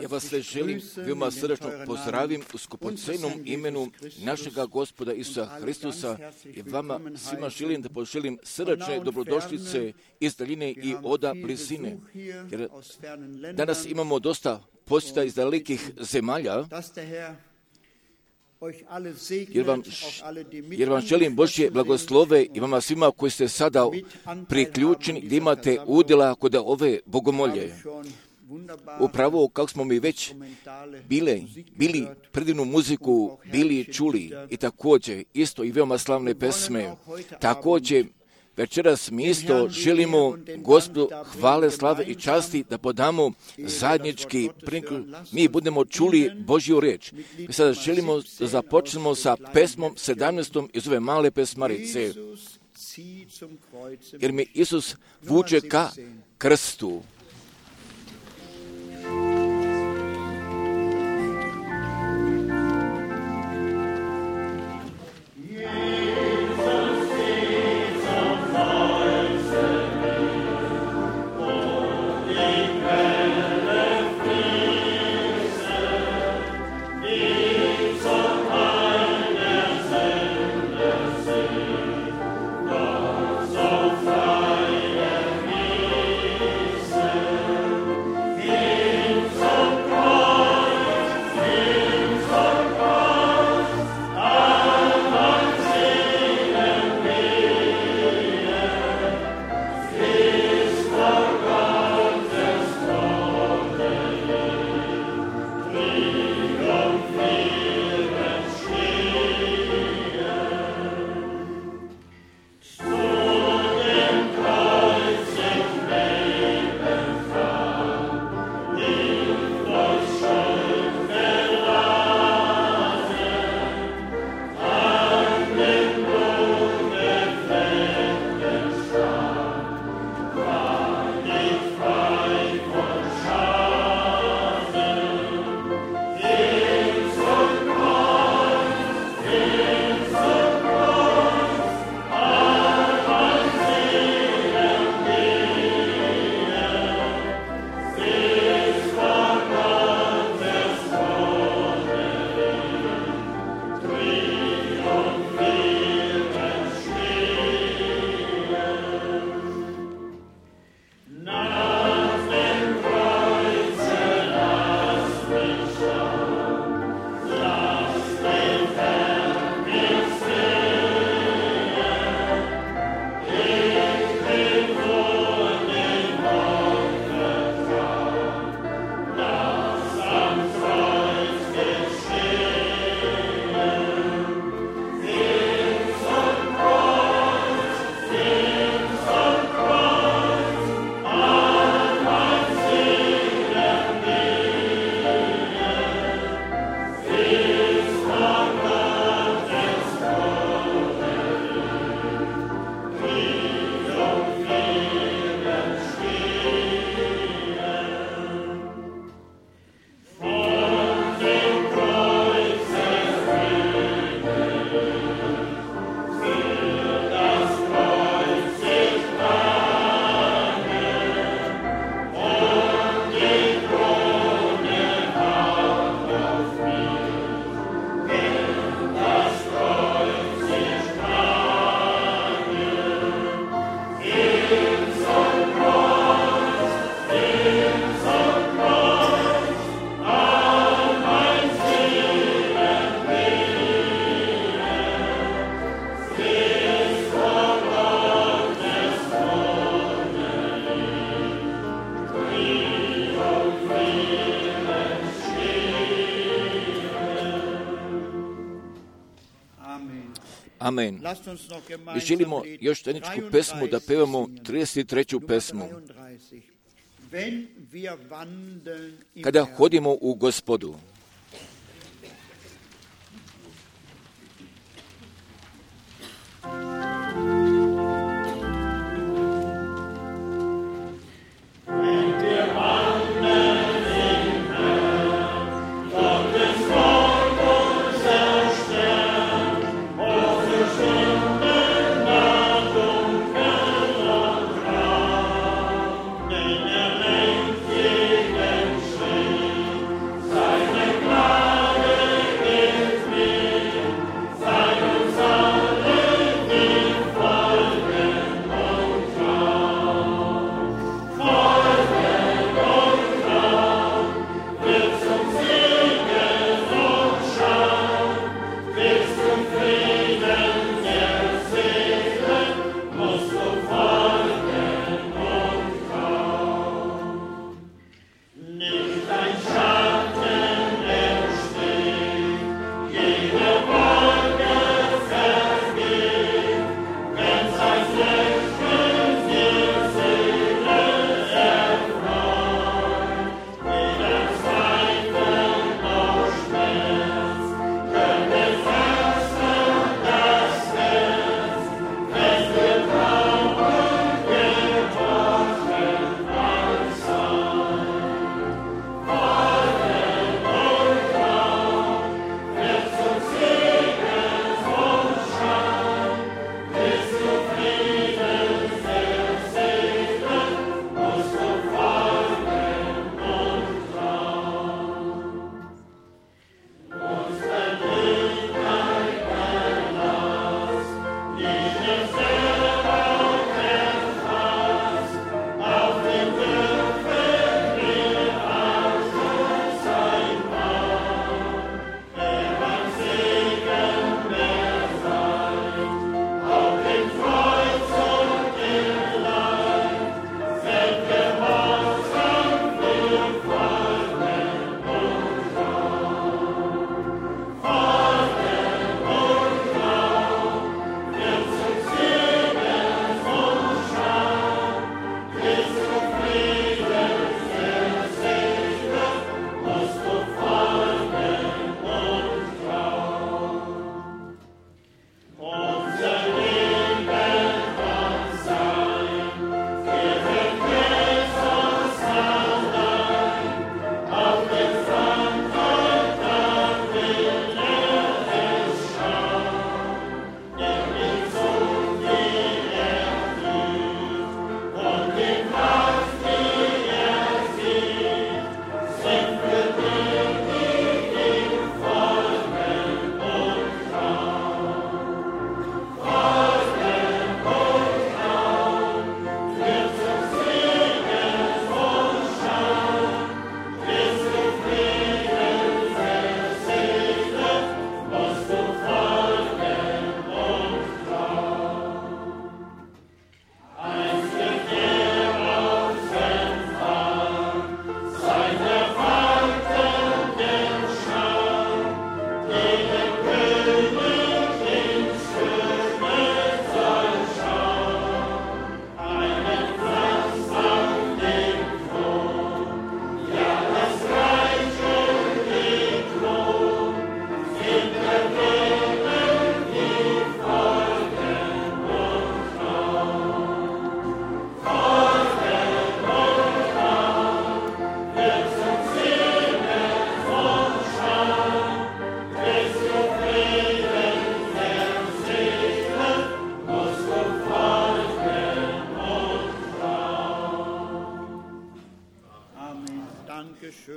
Ja vas sve želim veoma srdačno pozdravim u skupocenom imenu našega Gospoda Isusa Hristusa i vama svima želim da poželim srdačne dobrodošlice iz daljine i oda blizine. Jer danas imamo dosta posjeta iz dalekih zemalja, jer vam želim Božje blagoslove i vama svima koji ste sada priključeni gdje imate udjela kod ove bogomolje. Upravo kako smo mi već bili predivnu muziku bili čuli i također isto i veoma slavne pesme. Također večeras mi isto želimo Gospodu hvale, slave i časti da podamo zajednički mi budemo čuli Božju riječ. Mi sada želimo da započnemo sa pesmom 17. iz ove male pesmarice. Jer mi Isus vuče ka krstu. Amen. I želimo još tehničku pesmu da pevamo 33. pesmu. Kada hodimo u Gospodu. Thank you.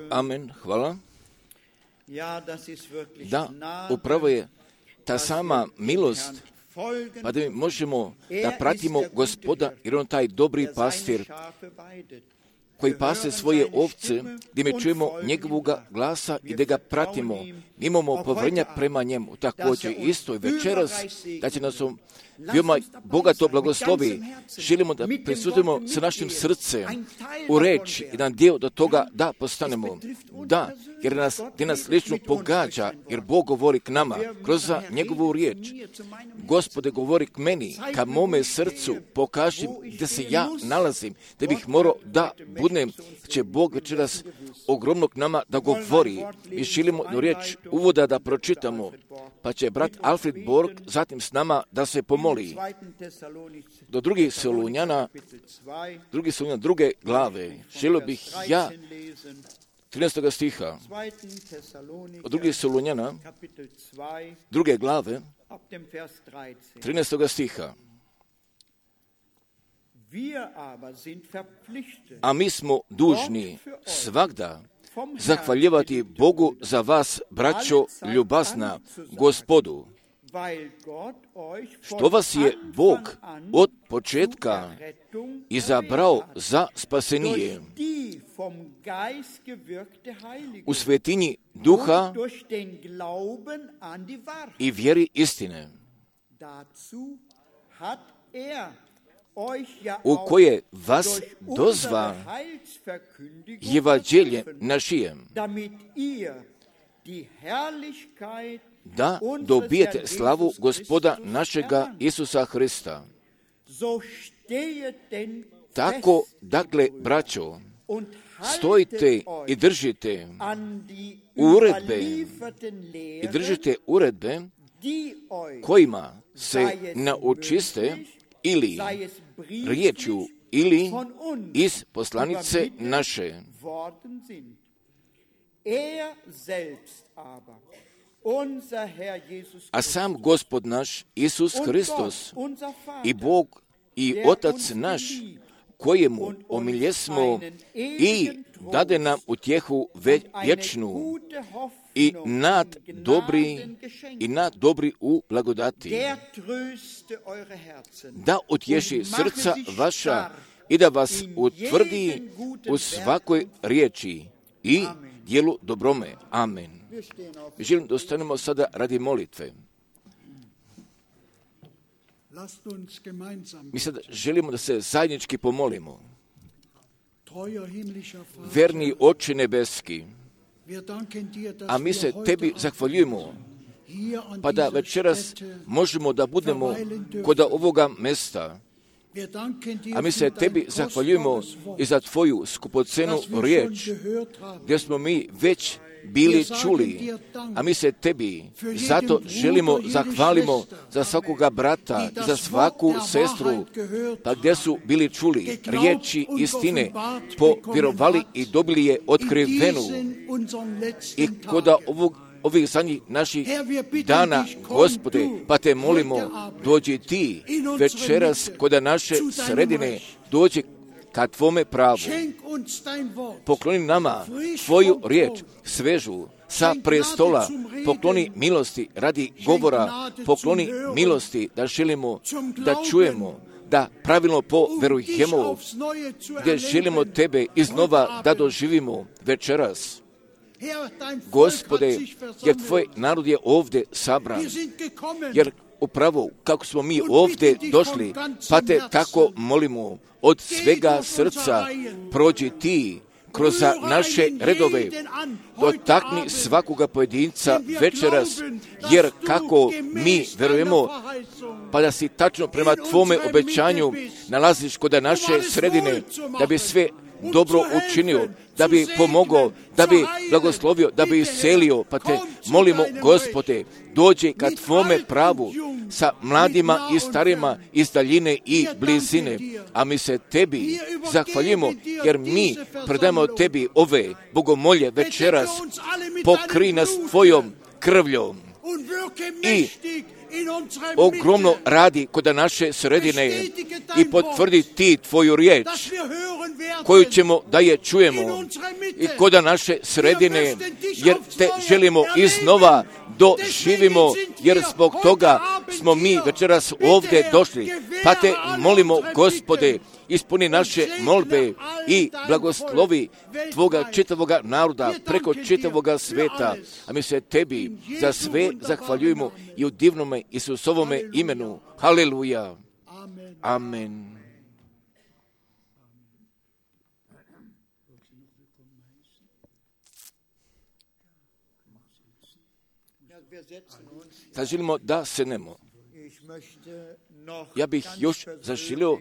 Amen, hvala. Da, upravo je ta sama milost, pa da mi možemo da pratimo Gospoda, jer on taj dobri pastir koji pase svoje ovce, gdje mi čujemo njegovoga glasa i da ga pratimo, imamo povrnja prema njemu. Također isto i večeras, da će nas veoma bogato blagoslovi. Želimo da prisutimo sa našim srcem u reč i da dio do toga da postanemo. Da, jer nas lično pogađa, jer Bog govori k nama kroz njegovu riječ. Gospode, govori k meni, ka mome srcu, pokaži gdje se ja nalazim, da bih morao da budem, će Bog večeras ogromno k nama da govori. Mi želimo do riječ uvoda da pročitamo, pa će brat Alfred Borg zatim s nama da se pomoli. Do drugih Solunjana, druge glave, želio bih ja 13. stiha, od drugih Solunjana, druge glave, 13. stiha. A mi smo dužni svagda zahvaljivati Bogu za vas, braćo ljubazna, Gospodu, što vas je Bog od početka izabrao za spasenije u svetinji duha i vjeri istine, u koje vas dozva evanđelje našijem, da dobijete slavu Gospoda našega Isusa Hrista. Tako, dakle, braćo, stojite i držite uredbe kojima se naučiste ili riječju ili iz poslanice naše. A sam Gospod naš Isus Hristos i Bog i Otac naš, kojemu omiljesmo i dade nam utjehu vječnu i nad dobri u blagodati, da utješi srca vaša i da vas utvrdi u svakoj riječi i djelu dobrome. Amen. Želim da ostanemo sada radi molitve. Mi sad želimo da se zajednički pomolimo. Verni Oče nebeski, a mi se tebi zahvaljujemo, pa da večeras možemo da budemo kod ovoga mesta. A mi se tebi zahvaljujemo i za tvoju skupocenu riječ, gdje smo mi već bili čuli, a mi se tebi zato želimo zahvalimo za svakoga brata, za svaku sestru, pa gdje su bili čuli riječi istine, povjerovali i dobili je otkrivenu. I kod ovih zadnjih naših dana, Gospode, pa te molimo, dođi ti večeras kod naše sredine, dođi ka tvome pravu. Pokloni nama tvoju riječ, svežu, sa prestola, pokloni milosti radi govora, pokloni milosti da želimo da čujemo, da pravilno poverujemo, gdje želimo tebe iznova da doživimo večeras. Gospode, jer tvoj narod je ovdje sabran, jer upravo kako smo mi ovdje došli, pa te tako molimo, od svega srca prođi ti kroz naše redove, dotakni svakoga pojedinca večeras, jer kako mi verujemo, pa da si tačno prema tvome obećanju nalaziš kod naše sredine, da bi sve dobro učinio, da bi pomogao, da bi blagoslovio, da bi iscelio, pa te molimo, Gospode, dođi ka tvome pravu sa mladima i starima iz daljine i blizine, a mi se tebi zahvaljujemo, jer mi predajemo tebi ove bogomolje večeras, pokri nas tvojom krvljom i ogromno radi kod naše sredine i potvrdi ti tvoju riječ koju ćemo da je čujemo i kod naše sredine, jer te želimo iznova doživimo, jer zbog toga smo mi večeras ovdje došli. Pa te molimo, Gospode, ispuni naše molbe i blagoslovi tvoga čitavoga naroda preko čitavoga sveta. A mi se tebi za sve zahvaljujemo i u divnome Isusovome imenu. Haleluja. Amen. Sad želimo da sednemo. Ja bih još zaželio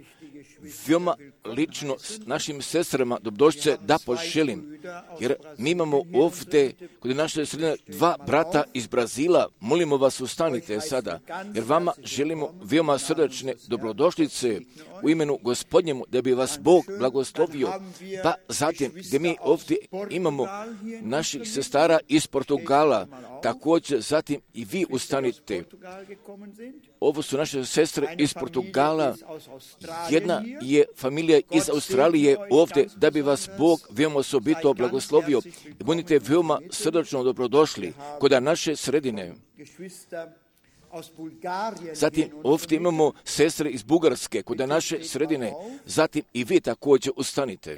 veoma lično s našim sestrama dobrodošlice da poželim, jer mi imamo ovdje kod naše sredine 2 brata iz Brazila. Molimo vas, ustanite sada, jer vama želimo veoma srdačne dobrodošlice u imenu Gospodnjemu, da bi vas Bog blagoslovio. Pa zatim, gdje mi ovdje imamo naših sestara iz Portugala, također zatim i vi ustanite. Ovo su naše sestre iz Portugala, jedna je familija iz Australije ovdje, da bi vas Bog veoma osobito blagoslovio. Budite veoma srdačno dobrodošli kod naše sredine. Zatim ovdje imamo sestre iz Bugarske kod naše sredine. Zatim i vi također ustanite.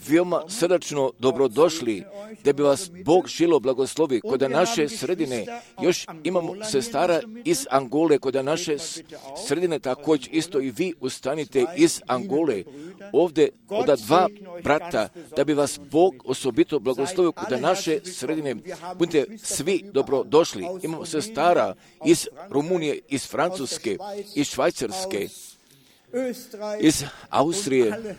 Veoma srdačno dobrodošli, da bi vas Bog želio blagoslovi kod naše sredine. Još imamo sestara iz Angole kod naše sredine, također isto i vi ustanite iz Angole. Ovdje od 2 brata, da bi vas Bog osobito blagoslovio kod naše sredine. Budite svi dobrodošli. Imamo sestara iz Rumunije, iz Francuske, iz Švajcarske, iz Austrije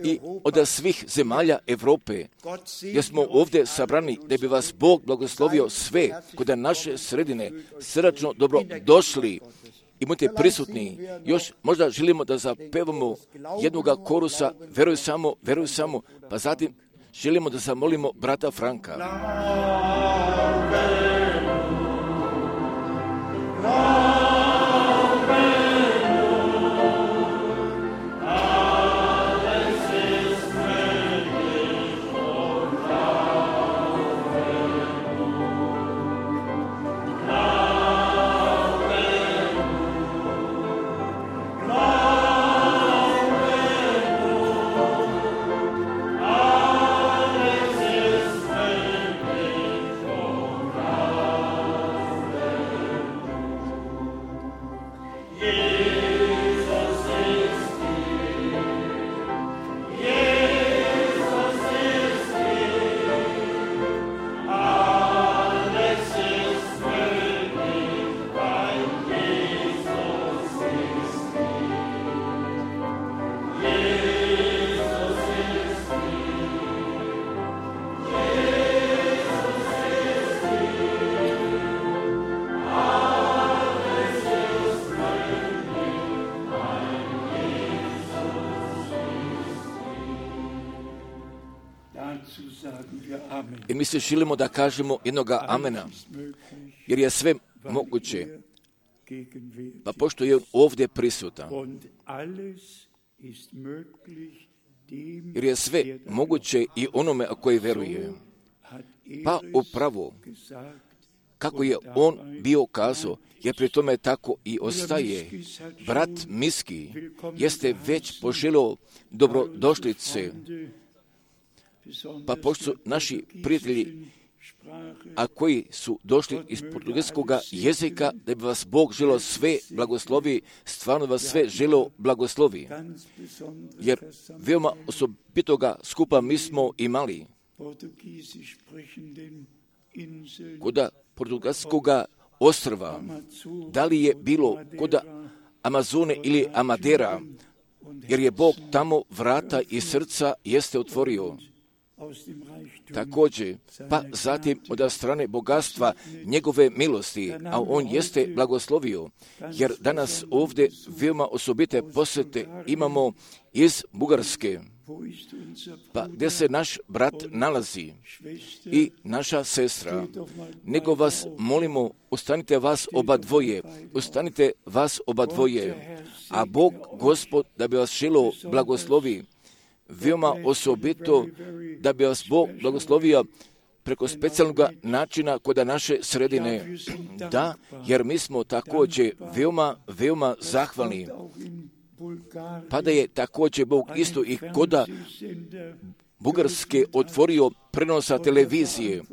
i od svih zemalja Europe, gdje smo ovdje sabrani, da bi vas Bog blagoslovio sve kod naše sredine. Srdačno dobro došli i budite prisutni. Još možda želimo da zapevamo jednoga korusa, veruj samo, pa zatim želimo da zamolimo brata Franka. I mi se želimo da kažemo jednoga amena, jer je sve moguće. Pa pošto je ovdje prisutan, jer je sve moguće i onome koji veruje. Pa upravo, kako je on bio kazao, jer pri tome tako i ostaje. Brat Miski jeste već poželio dobrodošlice, pa pošto su naši prijatelji, a koji su došli iz portugalskog jezika, da bi vas Bog želio sve blagoslovi, stvarno vas sve želio blagoslovi. Jer veoma osobitoga skupa mi smo imali kod portugalskog ostrva, da li je bilo kod Amazone ili Amadera, jer je Bog tamo vrata i srca jeste otvorio. također, pa zatim od strane bogatstva njegove milosti, a on jeste blagoslovio, jer danas ovdje veoma osobite posjete imamo iz Bugarske, pa gdje se naš brat nalazi i naša sestra, nego vas molimo, ustanite vas oba dvoje, a Bog, Gospod, da bi vas želo blagoslovi, veoma osobito, da bi vas Bog blagoslovio preko specijalnog načina kod naše sredine. Da, jer mi smo također veoma zahvalni. Pa da je također Bog isto i koda Bugarske otvorio prenosa televizije.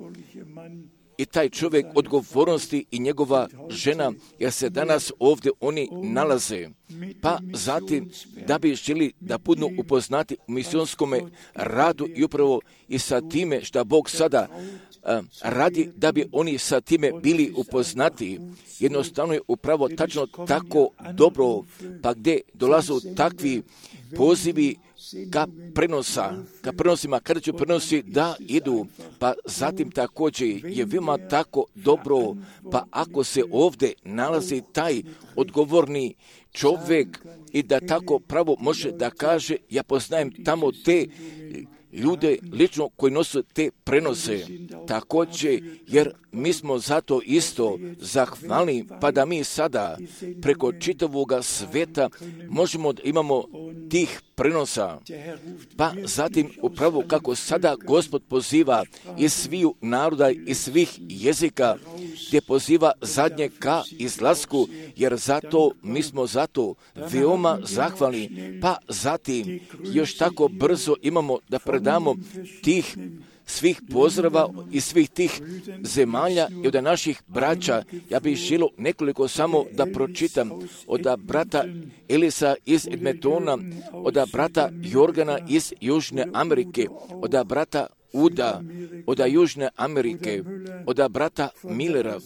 I taj čovjek odgovornosti i njegova žena, jer se danas ovdje oni nalaze. Pa zatim da bi želi da budu upoznati u misijonskom radu i upravo i sa time što Bog sada radi, da bi oni sa time bili upoznati. Jednostavno je upravo tačno tako dobro, pa gdje dolazu takvi pozivi ka prenosima, kada će prenosi da idu, pa zatim također je veoma tako dobro, pa ako se ovdje nalazi taj odgovorni čovjek i da tako pravo može da kaže, ja poznajem tamo te ljude lično koji nose te prenose, također, jer mi smo zato isto zahvalni, pa da mi sada preko čitavog sveta možemo da imamo tih prenosa. Pa zatim upravo kako sada Gospod poziva iz sviju naroda i svih jezika, gdje poziva zadnje ka izlasku, jer zato mi smo zato veoma zahvalni. Pa zatim još tako brzo imamo da predamo tih svih pozdrava i svih tih zemalja i od naših braća. Ja bih želio nekoliko samo da pročitam od brata Elisa iz Edmontona, od brata Jorgana iz Južne Amerike, od brata Uda, od Južne Amerike, od brata Millera,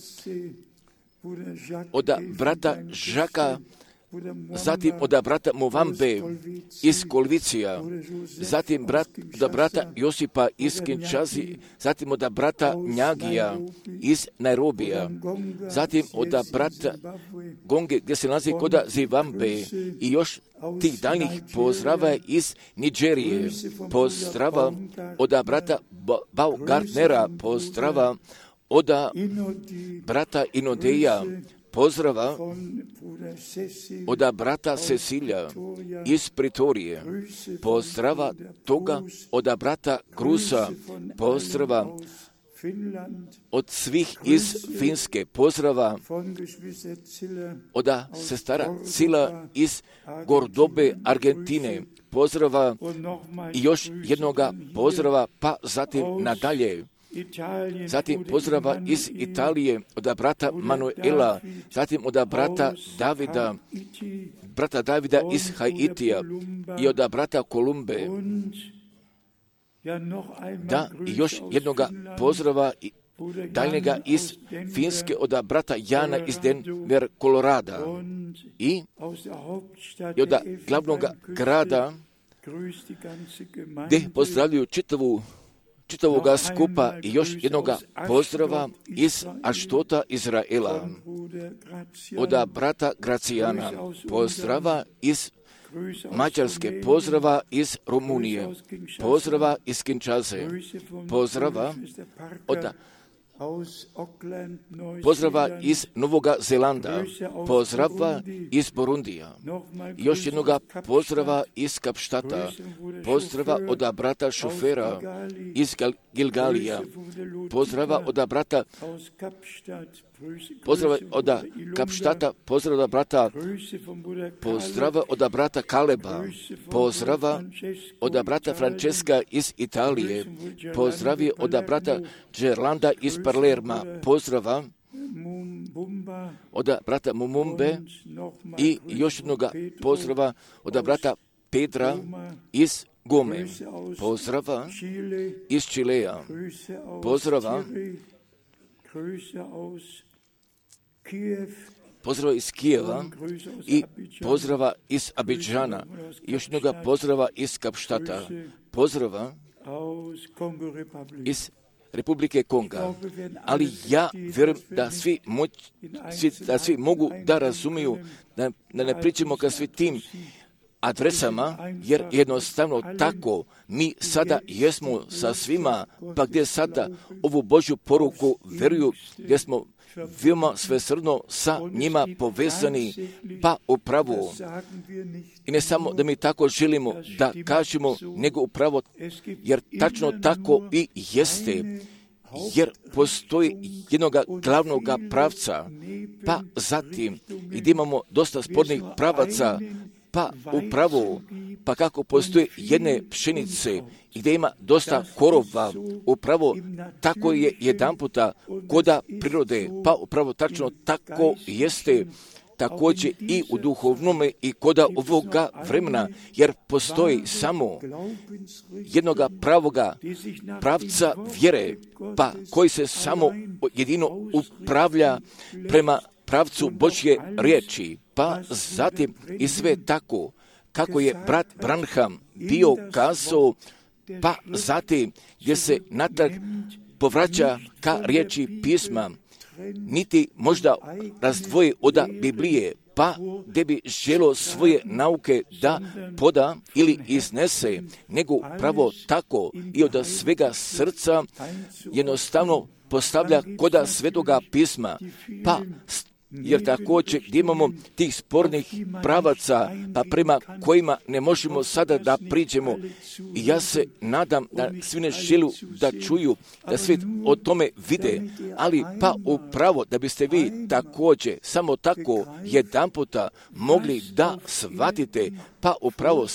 od brata Žaka, zatim od brata Movambe iz Kolvicija, zatim od brata Josipa iz Kinčazi, zatim od brata Njagija iz Nairobija, zatim od brata Gonge gdje se nalazi kod Zivambe i još tih daljnjih pozdrava iz Nigerije, pozdrava od brata Baumgartnera, pozdrava od brata Inodeja, pozdrava od brata Cecilija iz Pritorije, pozdrava toga od brata Krusa, pozdrava od svih iz Finske, pozdrava od sestara Cila iz Gordobe, Argentine, pozdrava i još jednoga pozdrava, pa zatim nadalje. Zatim pozdrava iz Italije od brata Manuela, zatim od brata Davida iz Haitija i od brata Kolumbe. Da, i još jednoga pozdrava daljnjega iz Finske od brata Jana iz Denver, Kolorada i od glavnog grada gdje pozdravljuju čitavoga skupa i još jednoga pozdrava iz Aštota, Izraela, od brata Gracijana, pozdrava iz Mađarske, pozdrava iz Rumunije, pozdrava iz Kinčaze, pozdrava iz Novoga Zelanda, pozdrava iz Burundija, još jednoga pozdrava iz Kapštata, pozdrava od brata Šofera iz Gilgalija, pozdrava od brata pozdrava od Kapštata, pozdrava od brata, pozdrava od brata Kaleba, pozdrava od brata Francesca iz Italije, pozdravi od brata Gerlanda iz Palerma, pozdrava od brata Mumumbe i još jednoga pozdrava od brata Pedra iz Gome, pozdrava iz Čileja, pozdrava pozdrava iz Kijeva i pozdrava iz Abidžana, još jednoga pozdrava iz Kapštata, pozdrava iz Republike Konga. Ali ja vjerujem da svi mogu da razumiju, da ne pričamo ka svi tim adresama, jer jednostavno tako mi sada jesmo sa svima, pa gdje sada ovu Božju poruku vjeruju, gdje smo veoma svesrdno sa njima povezani, pa upravo. I ne samo da mi tako želimo da kažemo, nego upravo, jer tačno tako i jeste, jer postoji jednog glavnog pravca, pa zatim i da imamo dosta spornih pravaca, pa upravo, pa kako postoje jedne pšenice i gdje ima dosta korova, upravo tako je jedan puta koda prirode, pa upravo tačno tako jeste također i u duhovnome i koda ovoga vremena, jer postoji samo jednoga pravoga pravca vjere, pa koji se samo jedino upravlja prema pravcu Božje riječi, pa zatim i sve tako kako je brat Branham bio kazao, pa zatim gdje se natrag povraća ka riječi pisma, niti možda razdvoji od Biblije, pa gdje bi želo svoje nauke da poda ili iznese, nego pravo tako i od svega srca jednostavno postavlja koda svetoga pisma, pa jer također gdje imamo tih spornih pravaca, pa prema kojima ne možemo sada da priđemo. I ja se nadam da svi ne želu da čuju, da svi o tome vide, ali pa upravo da biste vi također samo tako jedanputa mogli da shvatite, pa upravo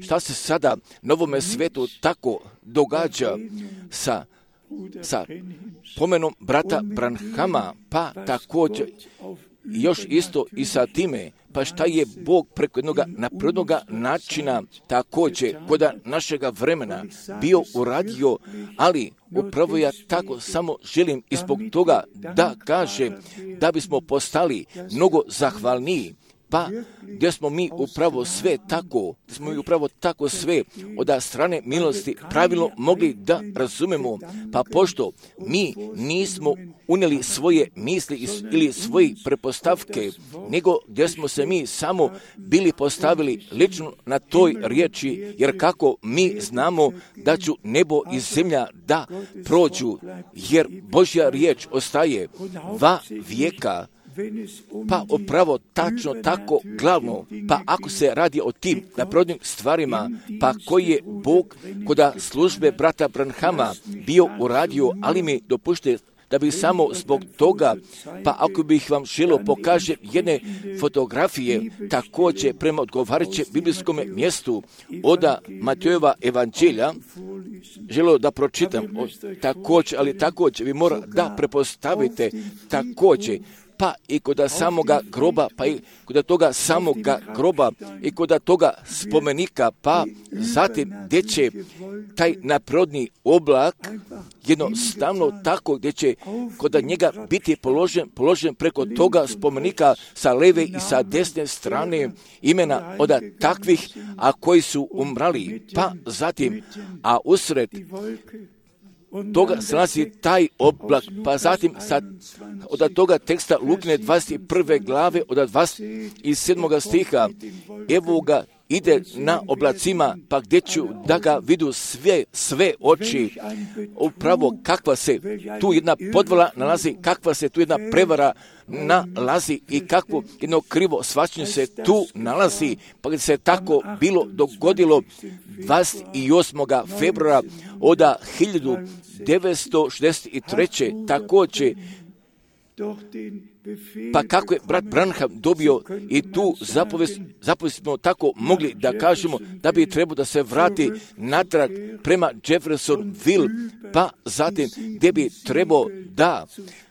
šta se sada na ovome svijetu tako događa sa pomenom brata Branhama, pa također još isto i sa time, pa šta je Bog preko jednog naprednog načina također kod našega vremena bio uradio, ali upravo ja tako samo želim i zbog toga da kažem da bismo postali mnogo zahvalniji, pa gdje smo mi upravo sve sve od strane milosti pravilno mogli da razumemo, pa pošto mi nismo unijeli svoje misli ili svoje prepostavke, nego gdje smo se mi samo bili postavili lično na toj riječi, jer kako mi znamo da će nebo i zemlja da prođu, jer Božja riječ ostaje va vijeka. Pa upravo tačno tako glavno, pa ako se radi o tim naprodnim stvarima, pa koji je Bog kod službe brata Branhama bio uradio, ali mi dopušte da bi samo zbog toga, pa ako bih vam želio pokaže jedne fotografije, također prema odgovarajućem biblijskom mjestu od Matejova evanđelja, želio da pročitam također, ali također vi mora da prepostavite također, pa i kod samoga groba, pa i kod toga samoga groba i kod toga spomenika, pa zatim gdje će taj naprodni oblak jednostavno tako gdje će kod njega biti položen preko toga spomenika sa leve i sa desne strane imena od takvih, a koji su umrali, pa zatim, a usred toga se nalazi taj oblak, pa zatim od toga teksta Lukine 21. glave od 27. stiha, evo ga ide na oblacima, pa gdje ću da ga vidu sve oči, upravo kakva se tu jedna podvala nalazi, kakva se tu jedna prevara nalazi i kakvo jedno krivo shvaćanje se tu nalazi, pa gdje se tako bilo dogodilo 28. februara od 1963. također, pa kako je brat Branham dobio i tu zapovijest smo tako mogli da kažemo da bi trebao da se vrati natrag prema Jeffersonville, pa zatim gdje bi trebao da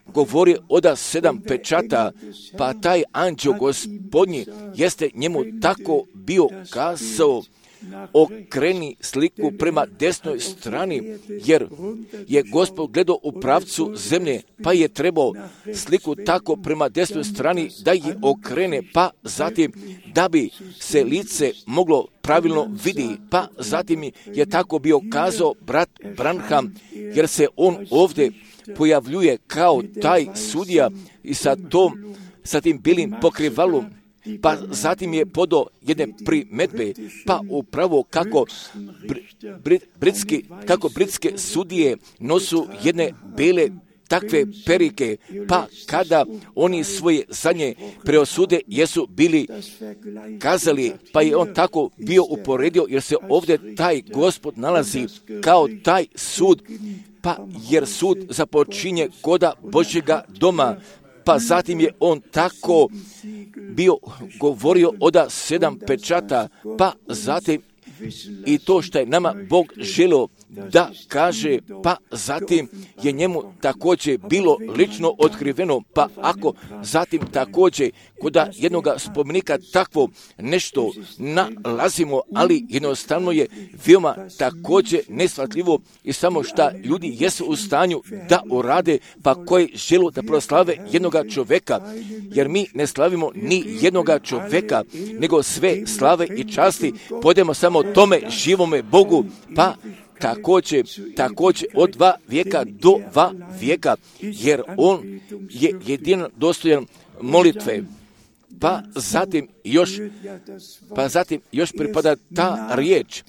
govori od 7 pečata, pa taj anđeo gospodnji jeste njemu tako bio kazao, okreni sliku prema desnoj strani, jer je Gospod gledao u pravcu zemlje, pa je trebao sliku tako prema desnoj strani da je okrene, pa zatim da bi se lice moglo pravilno vidi, pa zatim je tako bio kazao brat Branham, jer se on ovdje pojavljuje kao taj sudija i sa tim bilim pokrivalom, pa zatim je podao jedne primedbe, pa upravo kako britske sudije nosu jedne bele takve perike, pa kada oni svoje zadnje preosude jesu bili kazali, pa je on tako bio uporedio, jer se ovdje taj Gospod nalazi kao taj sud, pa jer sud započinje koda Božjega doma, pa zatim je on tako bio govorio od 7 pečata, pa zatim i to što je nama Bog želio da kaže, pa zatim je njemu također bilo lično otkriveno, pa ako zatim također kod jednoga spomenika takvo nešto nalazimo, ali jednostavno je veoma također neshvatljivo i samo šta ljudi jesu u stanju da urade, pa koji žele da proslave jednoga čovjeka, jer mi ne slavimo ni jednoga čovjeka, nego sve slave i časti podemo samo tome živome Bogu, pa također od 2 vijeka do 2 vijeka, jer on je jedino dostojan molitve. Pa zatim još pripada ta riječ,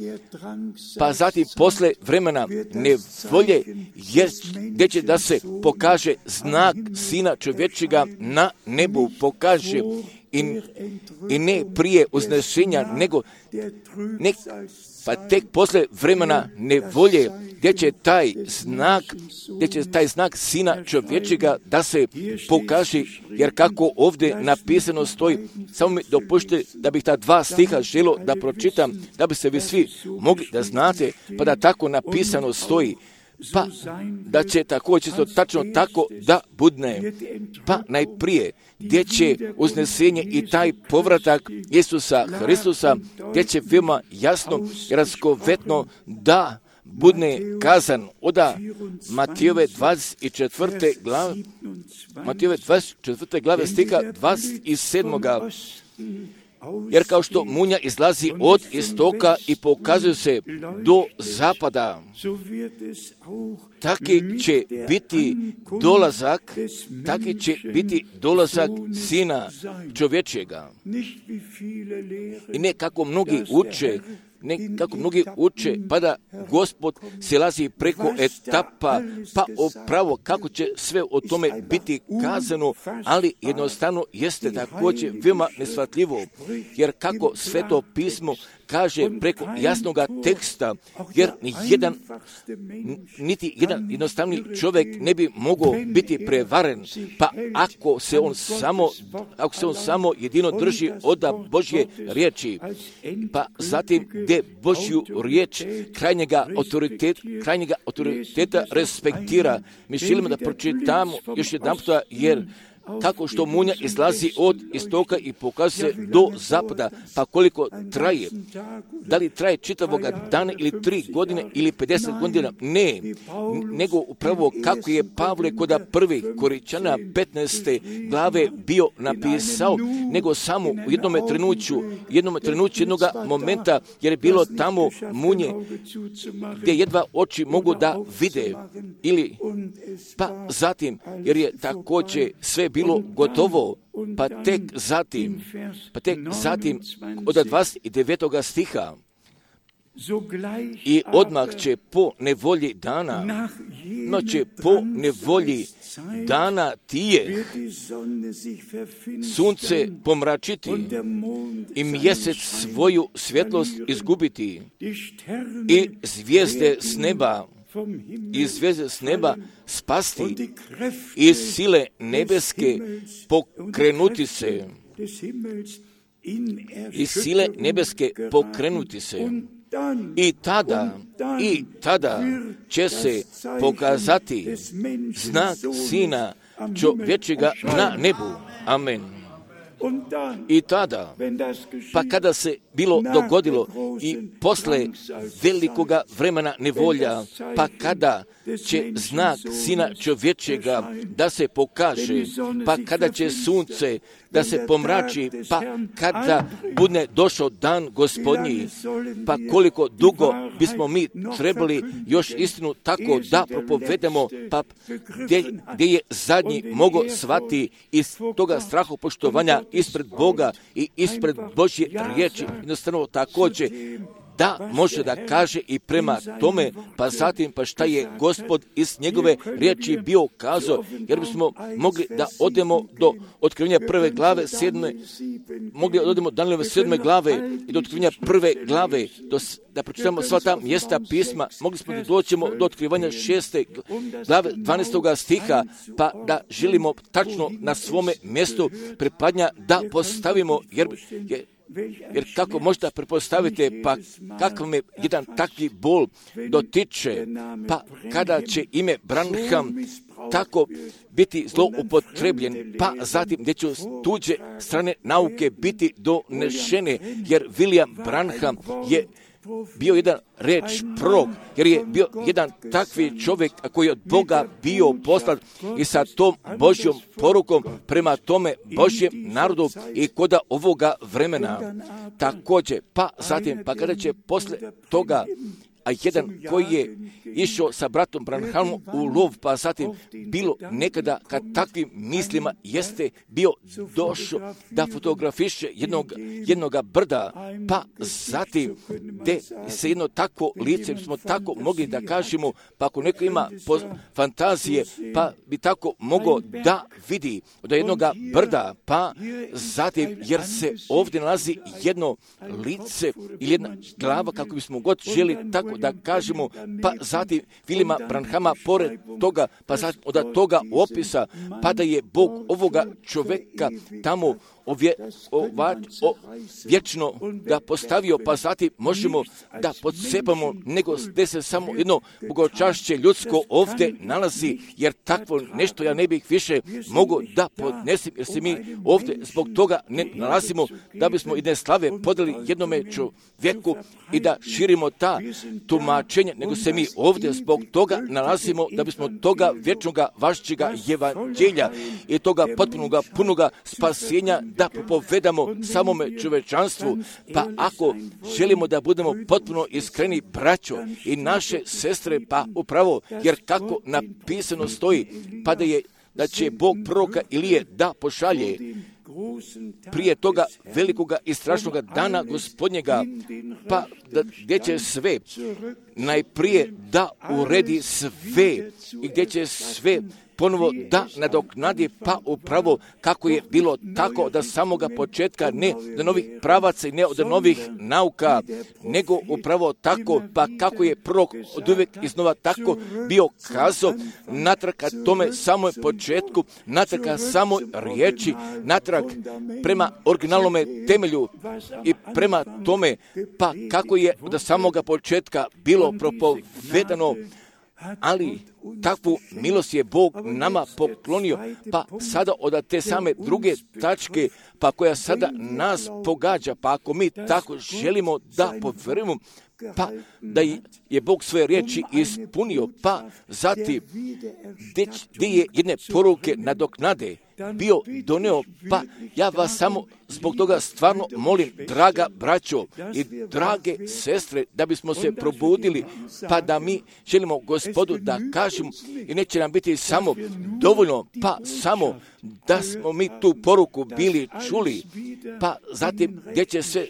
pa zatim posle vremena nevolje gdje će da se pokaže znak Sina čovječega na nebu, pokaže i ne prije uznešenja, nego pa tek posle vremena nevolje gdje će taj znak Sina čovječega da se pokaže, jer kako ovdje napisano stoji, samo mi dopušte da bih ta 2 stiha želio da pročitam, da bi se vi svi mogli da znate, pa da tako napisano stoji, pa da će također tačno tako da budne. Pa najprije gdje će uznesenje i taj povratak Isusa Hristusa, gdje će veoma jasno i razgovetno da budne kazan od Matijove 24. glave stiha 27. Jer kao što munja izlazi od istoka i pokazuje se do zapada, taki će biti dolazak Sina čovječega. I ne kako mnogi uče, pa da Gospod silazi preko etapa, pa upravo kako će sve o tome biti kazano, ali jednostavno jeste također veoma neshvatljivo, jer kako Sveto pismo kaže preko jasnoga teksta, jer niti jedan jednostavni čovjek ne bi mogao biti prevaren, pa ako se on samo jedino drži od Božje riječi, pa zatim gdje Božju riječ krajnjega autoriteta respektira. Mi želimo da pročitamo još jedan puta, jer kako što munja izlazi od istoka i pokazuje se do zapada, pa koliko traje, da li traje čitavoga dana ili 3 godine ili 50 godina, ne, nego upravo kako je Pavle kod 1. Korinćana 15. glave bio napisao, nego samo u jednom trenutku jednoga momenta, jer je bilo tamo munje gdje jedva oči mogu da vide, ili pa zatim, jer je također sve bilo gotovo, pa tek zatim od 29. stiha i odmah će po nevolji dana tije sunce pomračiti i mjesec svoju svjetlost izgubiti i zvijezde s neba spasti i sile nebeske pokrenuti se. I tada će se pokazati znak Sina čovječega na nebu. Amen. I tada, pa kada se bilo dogodilo i posle velikoga vremena nevolja, pa kada će znak Sina čovječega da se pokaže, pa kada će sunce da se pomrači, pa kada bude došao dan Gospodnji, pa koliko dugo bismo mi trebali još istinu tako da propovedemo, pa gdje je zadnji mogo shvati iz toga strahopoštovanja ispred Boga i ispred Božje riječi, jednostavno također da može da kaže i prema tome, pa zatim pa šta je Gospod iz njegove riječi bio kazao, jer bismo mogli da odemo do otkrivenja 1. glave 7. mogli da odemo do 7. glave i do otkrivenja 1. glave, da pročitamo sva ta mjesta pisma, mogli smo da doćemo do otkrivanja 6. glave 12. stiha, pa da želimo tačno na svome mjestu pripadnja da postavimo, jer kako možete prepostaviti, pa kakav me jedan takvi bol dotiče, pa kada će ime Branham tako biti zloupotrebljen, pa zatim gdje će tuđe strane nauke biti donešene, jer William Branham je bio jedan reč prorok, jer je bio jedan takvi čovjek koji je od Boga bio poslat i sa tom Božjom porukom prema tome Božjem narodu i koda ovoga vremena. Također, pa zatim, pa kada će posle toga, a jedan koji je išao sa bratom Branhamom u lov, pa zatim bilo nekada kad takvim mislima jeste bio došao da fotografiše jednoga brda, pa zatim gdje se jedno tako lice, smo tako mogli da kažemo, pa ako neko ima fantazije, pa bi tako mogao da vidi od jednoga brda, pa zatim jer se ovdje nalazi jedno lice ili jedna glava, kako bismo god želi tako da kažemo, pa zatim Vilima Branhama pored toga, pa zatim od toga opisa, pa da je Bog ovoga čovjeka tamo vječno ga postavio, pa zatim možemo da podsepamo, nego gdje se samo jedno bogočašće ljudsko ovdje nalazi, jer takvo nešto ja ne bih više mogu da podnesim, jer se mi ovdje zbog toga ne nalazimo, da bismo jedne slave podali jednome čovjeku i da širimo ta tumačenja, nego se mi ovdje zbog toga nalazimo, da bismo toga vječnoga vašćega evanđelja i toga potpunoga, punoga spasenja da propovedamo samome čovečanstvu, pa ako želimo da budemo potpuno iskreni, braćo i naše sestre, pa upravo, jer kako napisano stoji, pa da će Bog proroka Ilije da pošalje prije toga velikoga i strašnoga dana Gospodnjega, pa gdje će sve najprije da uredi sve i gdje će sve ponovo da nadoknadi, pa upravo kako je bilo tako da samoga početka, ne od novih pravaca i ne od novih nauka, nego upravo tako, pa kako je prorok od uvijek iznova tako bio kazao, natrag ka tome samoj početku, natrag ka samoj riječi, natrag prema originalnome temelju i prema tome, pa kako je od samoga početka bilo propovedano, ali takvu milost je Bog nama poklonio, pa sada od te same druge tačke, pa koja sada nas pogađa, pa ako mi tako želimo da povjerujemo, pa da je Bog svoje riječi ispunio, pa zatim gdje je jedne poruke nadoknade bio doneo, pa ja vas samo zbog toga stvarno molim, draga braćo i drage sestre, da bismo se probudili, pa da mi želimo Gospodu da kažemo, i neće nam biti samo dovoljno, pa samo da smo mi tu poruku bili čuli, pa zatim gdje će sve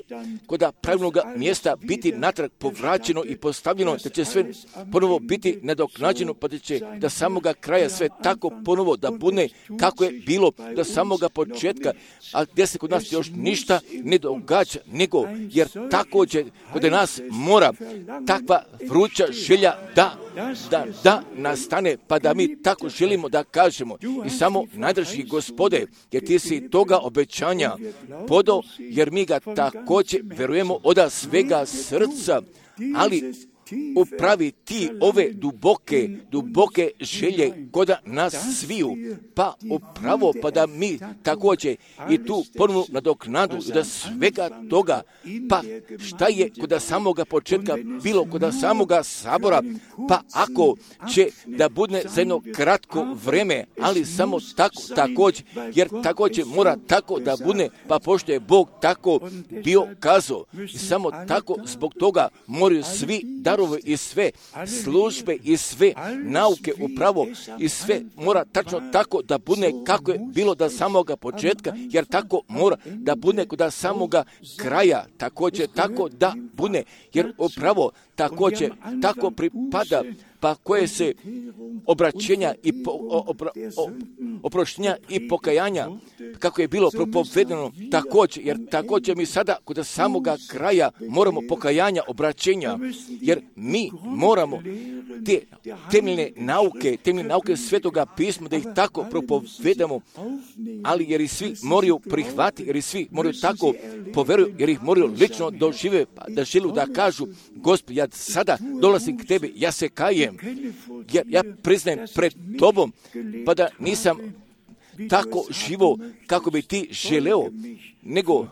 kod pravilnog mjesta biti natrag povraćeno i postavljeno, da će sve ponovo biti nadoknađeno, pa da će do samoga kraja sve tako ponovo da bude kako je bilo do samoga početka, a gdje se kod nas još ništa ne događa, nego jer također kod nas mora takva vruća želja da nastane, pa da mi tako želimo da kažemo i samo najdrži Gospode, jer ti si toga obećanja podao, jer mi ga također verujemo od svega srca, ali upravi ti ove duboke želje kod nas sviju, pa upravo pa da mi također i tu ponovnu nadoknadu da svega toga, pa šta je kod samoga početka bilo kod samoga sabora, pa ako će da bude za jedno kratko vreme, ali samo tako također, jer također mora tako da bude, pa pošto je Bog tako bio kazao, i samo tako zbog toga moraju svi darovi i sve službe i sve nauke upravo i sve mora tačno tako da bude kako je bilo do samoga početka, jer tako mora da bude kod samoga kraja, također tako da bude, jer upravo također tako pripada, pa koje se obraćenja i oproštenja i pokajanja, kako je bilo propovedeno također, jer također mi sada kod samoga kraja moramo pokajanja, obraćenja, jer mi moramo te temeljne nauke Svetoga pisma da ih tako propovedamo, ali jer i svi moraju prihvatiti, jer i svi moraju tako poveruju, jer ih moraju lično dožive, da želu da kažu, Gospod, ja sada dolazim k tebi, ja se kajem, ja priznajem pred tobom, pa da nisam tako živo kako bi ti želeo, nego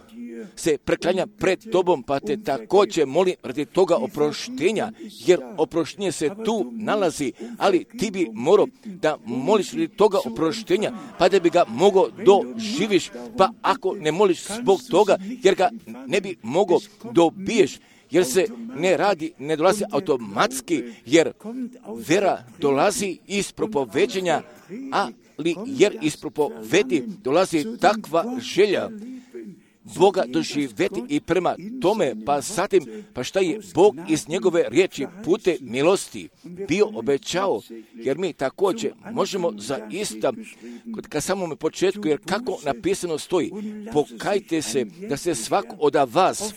se preklanja pred tobom, pa te također molim radi toga oproštenja, jer oproštenje se tu nalazi, ali ti bi morao da moliš radi toga oproštenja, pa da bi ga mogao doživiš, pa ako ne moliš zbog toga, jer ga ne bi mogao dobiješ, jer se ne dolazi automatski, jer vera dolazi iz propoveđenja, ali jer iz propovedi dolazi takva želja Boga doživjeti i prema tome, pa zatim, pa šta je Bog iz njegove riječi pute milosti bio obećao, jer mi također možemo zaista, ka samome početku, jer kako napisano stoji, pokajte se da se svako od vas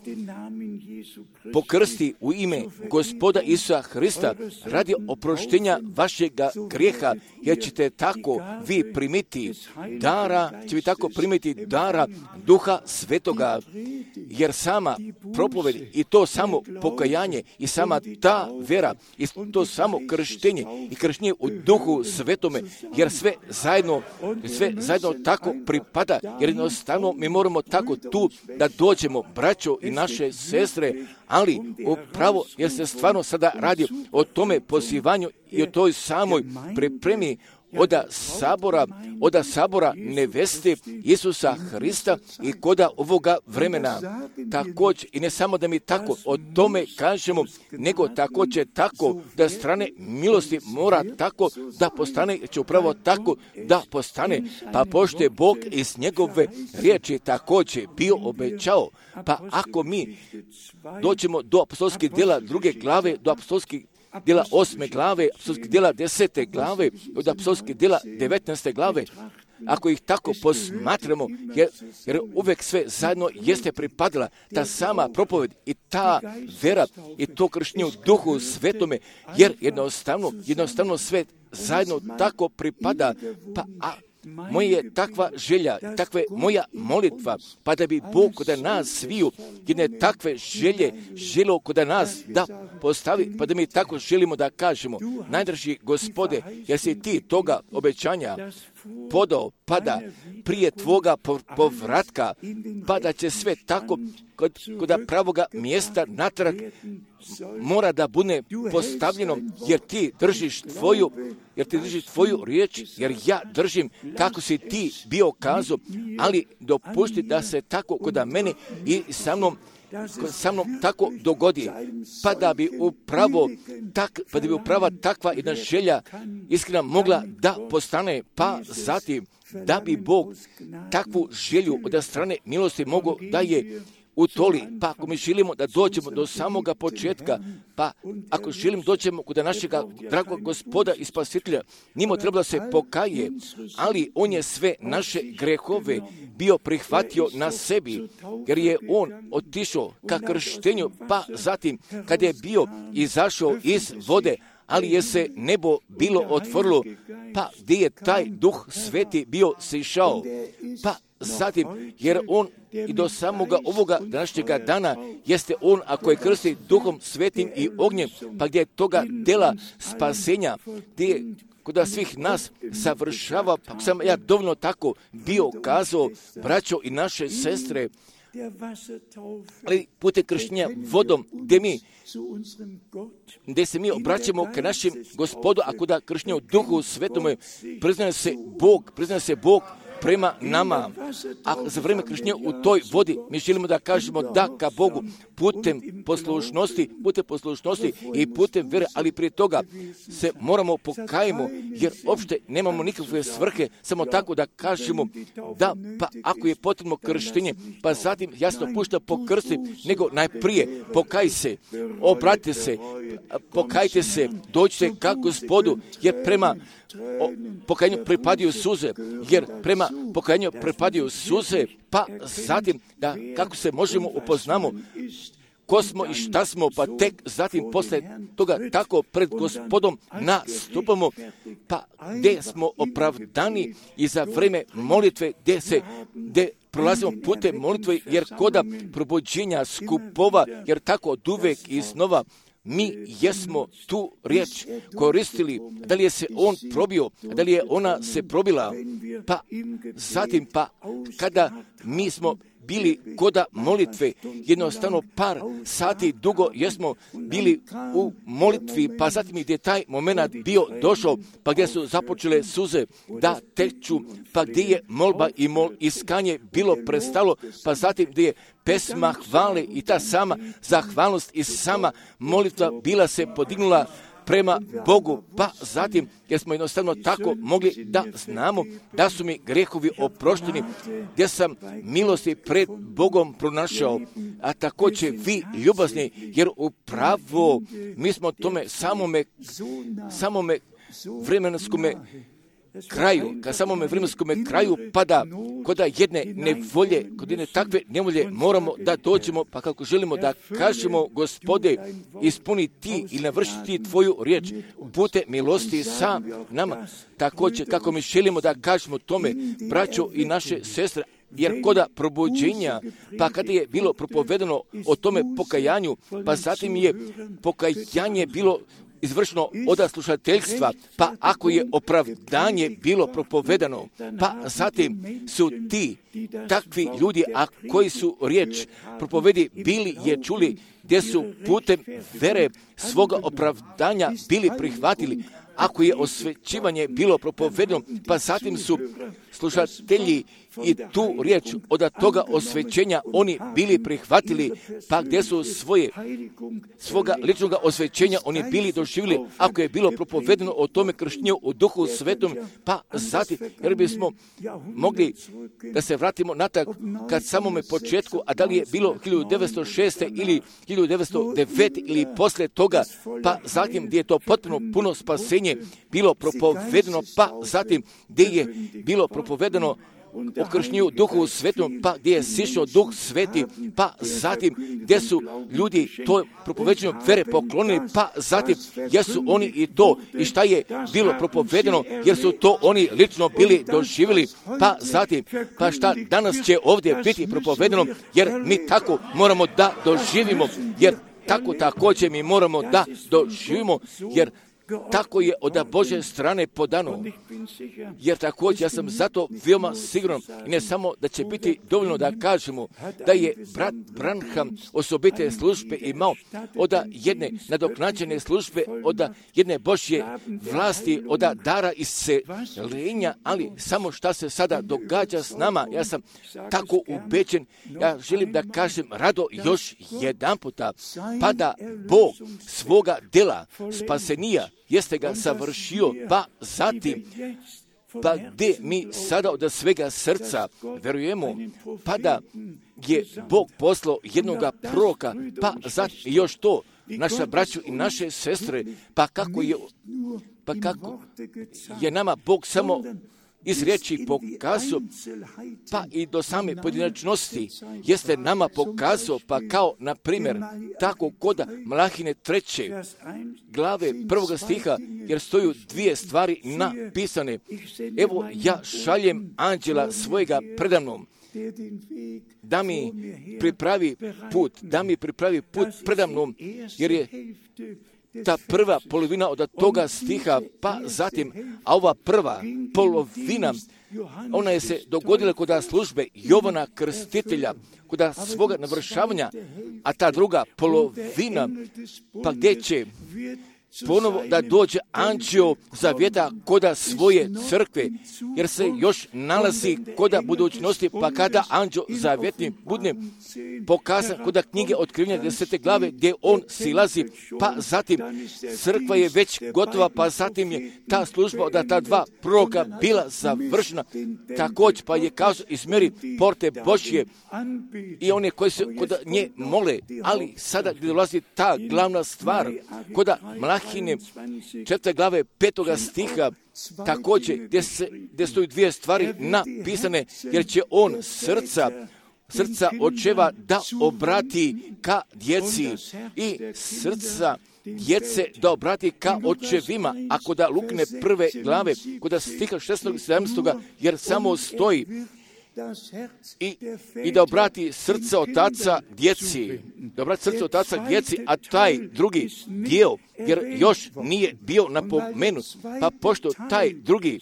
pokrsti u ime Gospoda Isusa Hrista radi oproštenja vašega grijeha, jer ćete tako vi primiti dara Duha Svetoga, jer sama propoved i to samo pokajanje i sama ta vera i to samo krštenje i krštenje u Duhu Svetome, jer sve zajedno tako pripada, jer jednostavno mi moramo tako tu da dođemo, braćo i naše sestre, ali upravo jer se stvarno sada radi o tome pozivanju i o toj samoj pripremi od sabora neveste Isusa Hrista i koda ovoga vremena. Također, i ne samo da mi tako o tome kažemo, nego također tako da strane milosti mora tako da postane, će upravo tako da postane, pa pošto je Bog iz njegove riječi također bio obećao, pa ako mi dođemo do apostolskih djela 2. glave, do apostolskih djela 8. glave, apostolskih djela 10. glave, od apostolskih djela 19. glave, ako ih tako posmatramo, jer uvijek sve zajedno jeste pripadala ta sama propoved i ta vera i to krštenje u Duhu Svetome, jer jednostavno sve zajedno tako pripada, pa moja je takva želja, takva je moja molitva, pa da bi Bog kod nas sviju jedne takve želio kod nas da postavi, pa da mi tako želimo da kažemo, najdraži Gospode, jer si ti toga obećanja podao, pa da prije tvoga povratka, pa da će sve tako kod pravoga mjesta natrag mora da bude postavljeno, jer ti držiš tvoju riječ, jer ja držim kako si ti bio kazao, ali dopusti da se tako kod mene i sa mnom tako dogodi, pa da bi upravo takva jedna želja iskrena mogla da postane, pa zatim da bi Bog takvu želju od strane milosti mogao da je utoli, pa ako mi želimo da dođemo do samoga početka, pa ako želim dođemo kod našega dragog Gospoda i Spasitelja, njemu trebalo se pokaje, ali on je sve naše grehove bio prihvatio na sebi, jer je on otišao ka krštenju, pa zatim kad je bio izašao iz vode, ali je se nebo bilo otvorilo, pa gdje je taj Duh Sveti bio sišao, pa zatim, jer on i do samoga ovoga današnjega dana jeste on, ako je krsti Duhom Svetim i ognjem, pa gdje je toga dela spasenja, gdje je kod svih nas savršava, pa sam ja dovoljno tako bio kazao, braćo i naše sestre, ali putem krštenja vodom, gdje se mi obraćamo ka našem Gospodu, a kod krštenja u Duhu Svetome priznaje se Bog prema nama. A za vrijeme krštenja u toj vodi mi želimo da kažemo da ka Bogu putem poslušnosti i putem vere, ali prije toga se moramo pokajemo, jer uopšte nemamo nikakve svrhe, samo tako da kažemo da, pa ako je potrebno krštenje, pa zatim jasno pušta pokrsti, nego najprije pokaj se, obratite se, pokajte se, dođite ka Gospodu, jer prema pokajanju pripadaju suze, pa zatim da kako se možemo upoznamo ko smo i šta smo, pa tek zatim posle toga tako pred Gospodom nastupamo, pa gdje smo opravdani i za vrijeme molitve gdje prolazimo putem molitve, jer koda probuđenja skupova, jer tako od uvek iznova mi jesmo tu riječ koristili, da li je se on probio, da li je ona se probila, pa zatim kada mi smo bili koda molitve, jednostavno par sati dugo jesmo bili u molitvi, pa zatim gdje je taj moment bio došao, pa gdje su započele suze da teču, pa gdje je molba i iskanje bilo prestalo, pa zatim gdje je pesma hvale i ta sama zahvalnost i sama molitva bila se podignula prema Bogu, pa zatim jer smo jednostavno tako mogli da znamo da su mi grehovi oprošteni, gdje sam milosti pred Bogom pronašao, a također vi ljubazni, jer upravo mi smo tome samome vremenskome kraju pada kod jedne nevolje, kod jedne takve nevolje moramo da dođemo, pa kako želimo da kažemo Gospode, ispuni ti i navrši ti tvoju riječ putem milosti sa nama. Također kako mi želimo da kažemo tome, braćo i naše sestre, jer koda probuđenja, pa kada je bilo propovedano o tome pokajanju, pa zatim je pokajanje bilo izvršeno od slušateljstva, pa ako je opravdanje bilo propovedano, pa zatim su ti takvi ljudi, a koji su riječ propovedi bili je čuli, gdje su putem vere svoga opravdanja bili prihvatili, ako je osvećivanje bilo propovedano, pa zatim su slušatelji i tu riječ od toga osvećenja oni bili prihvatili, pa gdje su svoga ličnog osvećenja oni bili doživjeli, ako je bilo propovedano o tome krštenju u Duhu Svetom, pa zatim, jer bismo mogli da se vratimo natrag kad samome početku, a da li je bilo 1906. ili 1909. ili posle toga, pa zatim gdje je to potpuno puno spasenje bilo propovedano, pa zatim gdje je bilo propovedano o krštenju Duhu Svetom, pa gdje je sišao Duh Sveti, pa zatim gdje su ljudi to propoveđenju vere poklonili, pa zatim jesu oni i to i šta je bilo propovedeno, jer su to oni lično bili doživjeli, pa zatim, pa šta danas će ovdje biti propovedeno, jer mi tako moramo da doživimo, jer tako također mi moramo da doživimo, jer tako je od Božje strane podano, jer također ja sam zato veoma siguran, i ne samo da će biti dovoljno da kažemo da je brat Branham osobite službe imao od jedne nadoknađene službe, od jedne Božje vlasti, od dara isceljenja, ali samo šta se sada događa s nama, ja sam tako ubeđen, ja želim da kažem rado još jedan puta, pa da Bog svoga dela spasenija jeste ga savršio, pa zatim, pa gdje mi sada od svega srca verujemo, pa da je Bog poslao jednoga proroka, pa zatim još to, naša braću i naše sestre, pa kako je nama Bog samo iz riječi pokazao, pa i do same pojedinačnosti jeste nama pokazao, pa kao, na primjer, tako kod Malahine 3. glave 1. stiha, jer stoju dvije stvari napisane. Evo, ja šaljem anđela svojega predamnom da mi pripravi put predamnom, jer je ta prva polovina od toga stiha, pa zatim, a ova prva polovina, ona je se dogodila kod službe Jovana Krstitelja, kod svoga navršavanja, a ta druga polovina, pa gdje će ponovo da dođe anđeo zavjeta koda svoje crkve, jer se još nalazi koda budućnosti, pa kada anđeo zavjetni bude pokazan koda knjige Otkrivenja 10. glave gdje on silazi, pa zatim crkva je već gotova, pa zatim je ta služba od ta dva proroka bila završena. Također pa je kazao izmjeri porte Božje i one koji se kod nje mole, ali sada gdje dolazi ta glavna stvar, koda Mlahine 4. glave 5. stiha, također gdje stoji dvije stvari napisane, jer će on srca očeva da obrati ka djeci i srca djece da obrati ka očevima, a kod Lukine 1. glave, kod stiha 16. i 17. jer samo stoji i da obrati srce otaca djeci, a taj drugi dio, jer još nije bio napomenut, pa pošto taj drugi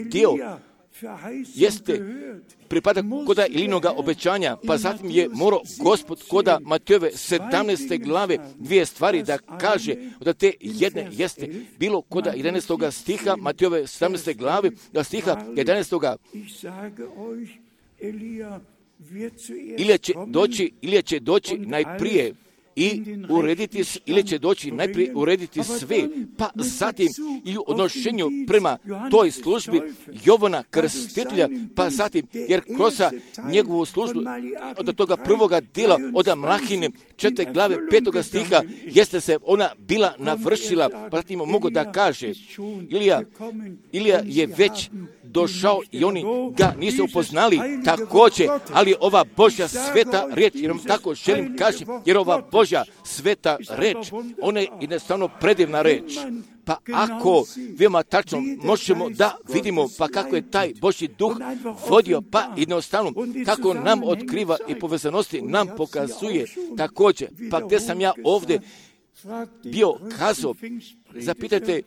dio pripada koda Ilinoga obećanja, pa zatim je morao Gospod koda Matejove 17. glave dvije stvari da kaže, da te jedne jeste bilo koda 11. stiha Matejove 17. glave, da stiha 11. Ili će doći najprije i urediti, ili će doći najprije urediti sve, pa zatim i u odnošenju prema toj službi Jovana Krstitelja, pa zatim, jer kroz njegovu službu od toga prvoga dijela, od Mlahine 4. glave 5. stiha, jeste se ona bila navršila, pa zatim mogu da kaže, Ilija je već došao i oni ga nisu upoznali također, ali ova Božja sveta riječ, jer vam tako želim kaži, jer ova Božja sveta riječ, ona je jednostavno predivna riječ. Pa ako veoma tačno možemo da vidimo pa kako je taj Božji duh vodio, pa jednostavno kako nam otkriva i povezanosti nam pokazuje također, pa gdje sam ja ovdje bio kazao, zapitajte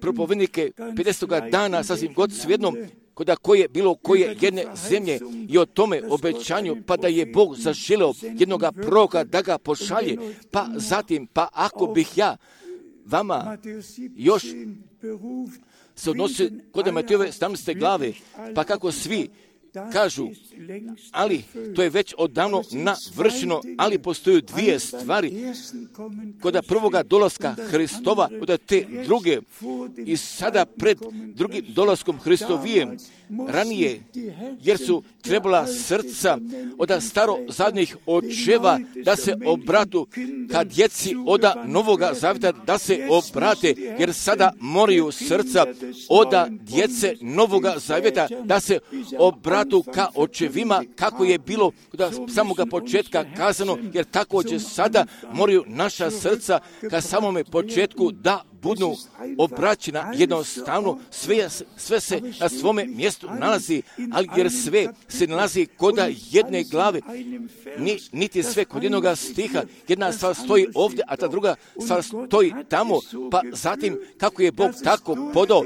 propovednike 50. dana, sasvim god svejedno, koda bilo koje jedne zemlje i o tome obećanju, pa da je Bog zaželeo jednoga proroka da ga pošalje, pa zatim, pa ako bih ja vama još se odnosi kod Matejove 17. glave, pa kako svi kažu, ali to je već odavno navršeno, ali postoje dvije stvari kod prvoga dolaska Hristova, kod te druge i sada pred drugim dolaskom Hristovijem ranije, jer su trebala srca od starozadnjih očeva da se obratu ka djeci od Novoga zavjeta da se obrate, jer sada moraju srca od djece Novoga zavjeta da se obratu ka očevima, kako je bilo od samoga početka kazano, jer također sada moraju naša srca ka samome početku da budu obraćena jednostavno, sve se na svome mjestu nalazi, ali jer sve se nalazi kod jedne glave, niti sve kod jednog stiha, jedna stvar stoji ovdje, a ta druga stvar stoji tamo, pa zatim kako je Bog tako podao,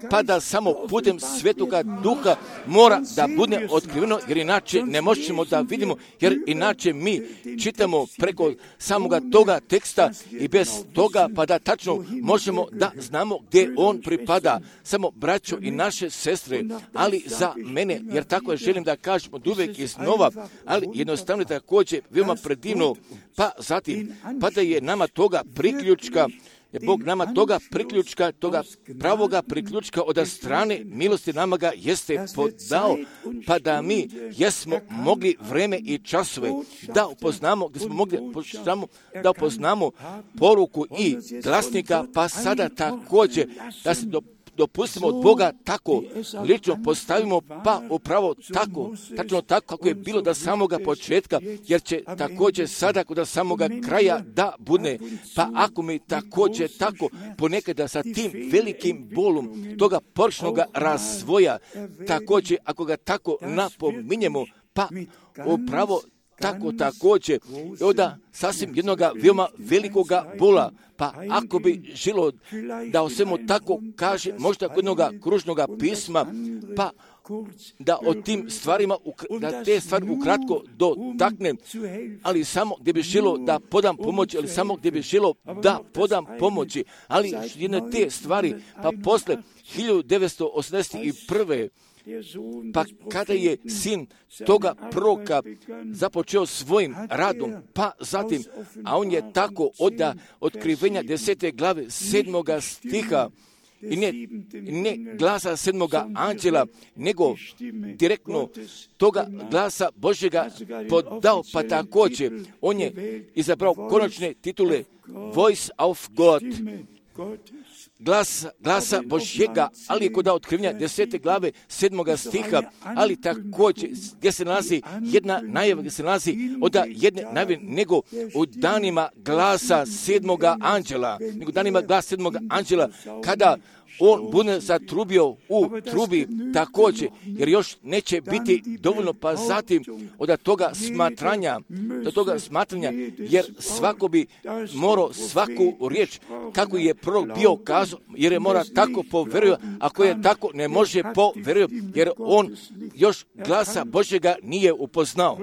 pa da samo putem Svetoga Duha mora da bude otkriveno, jer inače ne možemo da vidimo, jer inače mi čitamo preko samoga toga teksta i bez toga, pa da tačno možemo da znamo gdje on pripada, samo braćo i naše sestre, ali za mene, jer tako je želim da kažem od uvijek iznova, ali jednostavno također veoma predivno, pa zatim, pa da je nama toga priključka, je Bog nama toga pravoga priključka od strane milosti nama ga jeste podao, pa da mi jesmo mogli vreme i časove da upoznamo, gdje smo mogli da upoznamo poruku i glasnika, pa sada također dopustimo od Boga tako, lično postavimo, pa upravo tako, tačno tako kako je bilo do samoga početka, jer će također sada kod samoga kraja da bude. Pa ako mi također tako ponekada sa tim velikim bolom toga porčnoga razvoja, također ako ga tako napominjemo, pa upravo tako također, i onda sasvim jednoga veoma velikoga bola, pa ako bi želo da o svemu tako kaže, možda kod jednoga kružnoga pisma, pa da o tim stvarima, da te stvari ukratko dotaknem, ali samo gdje bi želo da podam pomoć, ali samo gdje bi želo da podam pomoći, ali jedne te stvari, pa posle 1981. Pa kada je sin toga proroka započeo svojim radom, pa zatim, a on je tako od otkrivenja 10. glave 7. stiha, i ne glasa 7. anđela, nego direktno toga glasa Božjega podao, pa također on je izabrao konačne titule Voice of God, glasa Božjega, ali je kod otkrivenja 10. glave 7. stiha, ali također gdje se nalazi jedna najava, gdje se nalazi od jedne najave, nego u danima glasa 7. anđela, kada on bude zatrubio u trubi također, jer još neće biti dovoljno, pa zatim od toga smatranja, jer svako bi morao svaku riječ, kako je prorok bio kazao, jer je mora tako poverio, ako je tako ne može poverio, jer on još glasa Božjega nije upoznao.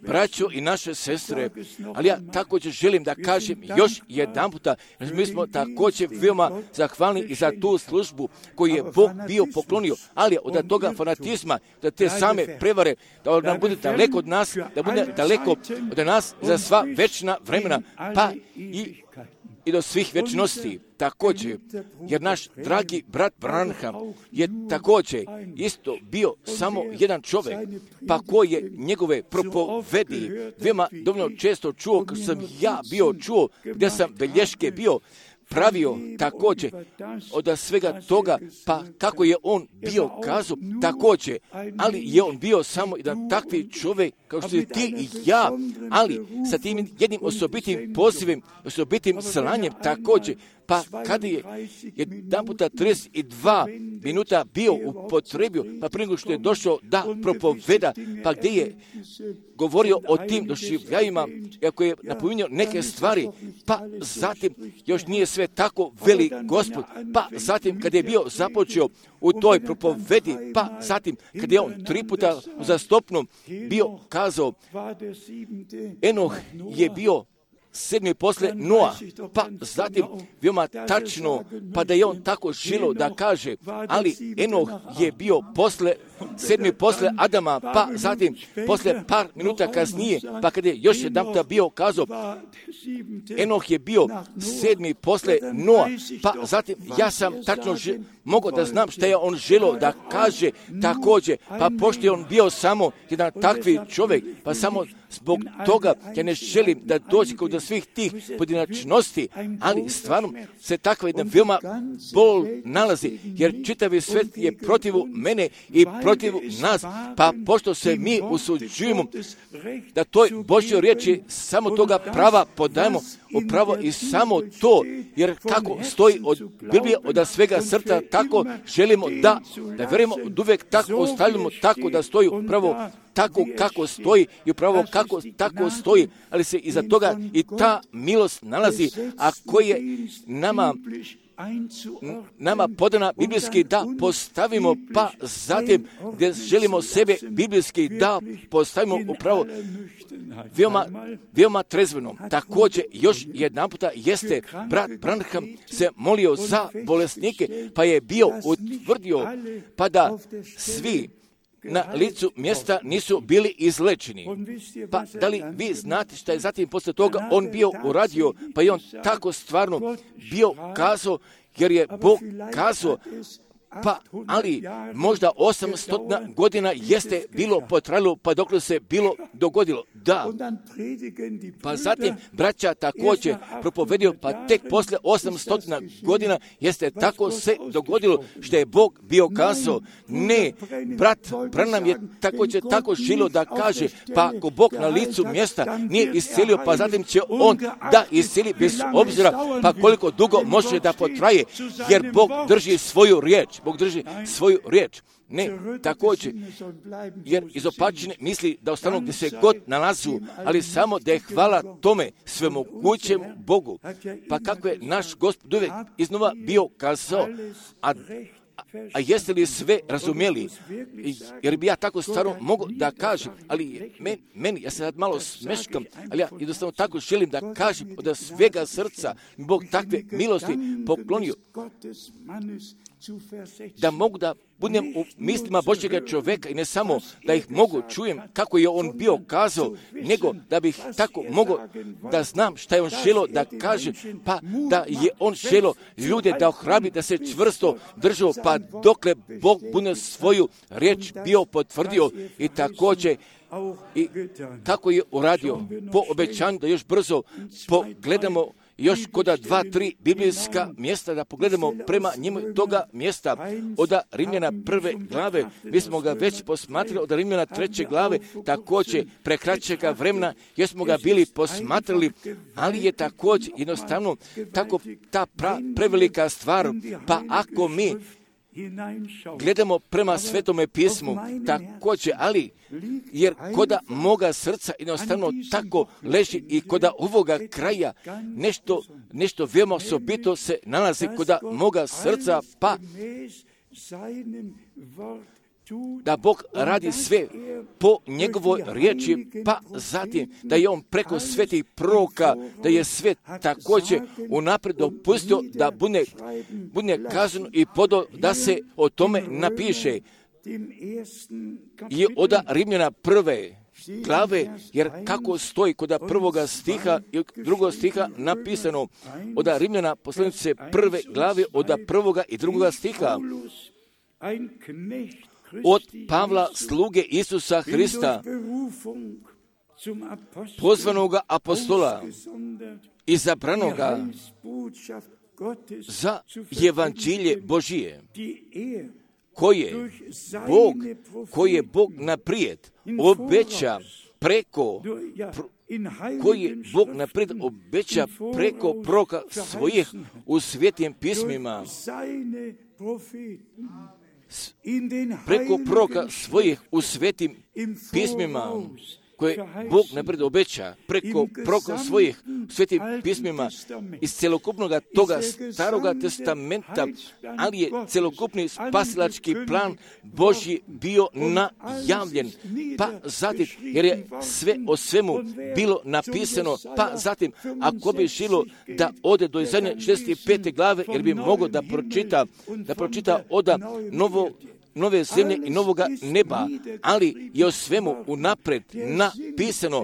Braćo i naše sestre, ali ja također želim da kažem još jedan puta, mi smo također veoma zahvalni i za tu službu koju je Bog bio poklonio, ali od toga fanatizma, da te same prevare, da nam bude daleko od nas, da bude daleko od nas za sva večna vremena, pa i do svih večnosti. Također, jer naš dragi brat Branham je također isto bio samo jedan čovjek, pa koji je njegove propovedi veoma dovoljno često čuo, kad sam ja bio čuo, gdje sam belješke bio pravio također od svega toga, pa kako je on bio kazao također, ali je on bio samo jedan takvi čovjek kao što si ti i ja, ali sa tim jednim osobitim pozivom, osobitim slanjem također, pa kada je jedan puta 32 minuta bio upotrebio, pa prije nego što je došao da propoveda, pa gdje je govorio o tim doživljajima, iako je napominjao neke stvari, pa zatim još nije sve tako veli Gospod, pa zatim kada je bio započeo u toj propovedi, pa zatim kada je on 3 puta uzastopno bio kazao, Enoh je bio 7. posle Noa, pa zatim veoma tačno, pa da je on tako želio da kaže, ali Enoh je bio 7. posle Adama, pa zatim posle par minuta kasnije, pa kada je još jedan puta bio kazao, Enoh je bio 7. posle Noa, pa zatim ja sam tačno mogao da znam šta je on želio da kaže također, pa pošto je on bio samo jedan takvi čovjek, pa samo zbog toga ja ne želim da dođe kod svih tih pojedinačnosti, ali stvarno se takva jedna veoma bol nalazi, jer čitavi svijet je protiv mene i protiv nas, pa pošto se mi usuđujemo da toj Božjoj riječi samo toga prava podajemo, upravo i samo to, jer kako stoji od Biblije, od svega srca, tako želimo da vjerujemo, od uvijek tako ostavljamo, tako da stoji upravo tako kako stoji i upravo kako tako stoji, ali se iza toga i ta milost nalazi, a koje nama podana biblijski da postavimo, pa zatim gdje želimo sebe biblijski da postavimo upravo veoma trezveno. Također još jedan puta jeste brat Branham se molio za bolesnike, pa je bio utvrdio pa da svi na licu mjesta nisu bili izlečeni. Pa da li vi znate šta je zatim posle toga on bio uradio, pa je on tako stvarno bio kazao, jer je Bog kazao, Pa, ali možda 800 godina jeste bilo potrajalo, pa dokle se bilo dogodilo. Da. Pa zatim braća također propovedio, pa tek posle 800 godina jeste tako se dogodilo što je Bog bio kazao. Ne, brat Branham je također tako želio da kaže, pa ako Bog na licu mjesta nije iscelio, pa zatim će on da isceli bez obzira, pa koliko dugo može da potraje, jer Bog drži svoju riječ. Bog drži svoju riječ. Ne, također, jer izopačene misli da ostanu gdje se god nalazu, ali samo da je hvala tome svemogućem Bogu. Pa kako je naš Gospod uvijek iznova bio kazao, a jeste li sve razumjeli? Jer bi ja tako stvarno mogu da kažem, ali meni, ja se sad malo smeškam, ali ja jednostavno tako želim da kažem od svega srca, Bog takve milosti poklonio, da mogu da budem u mislima Božjega čovjeka i ne samo da ih mogu čujem kako je on bio kazao, nego da bih tako mogao da znam šta je on želio da kaže, pa da je on želio ljude da ohrabri, da se čvrsto držao, pa dokle Bog bude svoju riječ bio potvrdio i također i tako je uradio po obećanju da još brzo pogledamo još koda 2-3 biblijska mjesta, da pogledamo prema njemu toga mjesta od Rimljana 1. glave. Mi smo ga već posmatrali od Rimljana 3. glave, također prekraćega vremena, jer smo ga bili posmatrali, ali je također jednostavno tako ta prevelika stvar, pa ako mi gledamo prema Svetome pismu, također, ali jer koda moga srca jednostavno tako leži i koda ovoga kraja nešto veoma osobito se nalazi koda moga srca, pa da Bog radi sve po njegovoj riječi, pa zatim da je on preko svetih proroka, da je sve također unaprijed dopustio da bude kazano i podao da se o tome napiše. I od Rimljana 1. glave, jer kako stoji kod 1. stiha i 2. stiha napisano, od Rimljana poslanice 1. glave od 1. i 2. stiha, od Pavla, sluge Isusa Hrista, pozvanoga apostola, izabranoga za evanđelje Božije, koje Bog naprijed obeća preko proroka svojih u svetim pismima, preko proroka svojih u svetim pismima, koje Bog naprijed obeća, preko proroka svojih u svetim pismima iz celokupnog toga staroga testamenta, ali je celokupni spasilački plan Božji bio najavljen, pa zatim, jer je sve o svemu bilo napisano, pa zatim, ako bi žilo da ode do Izaije 65. glave, jer bi mogao da pročita od nove zemlje i novoga neba, ali je o svemu unapred napisano,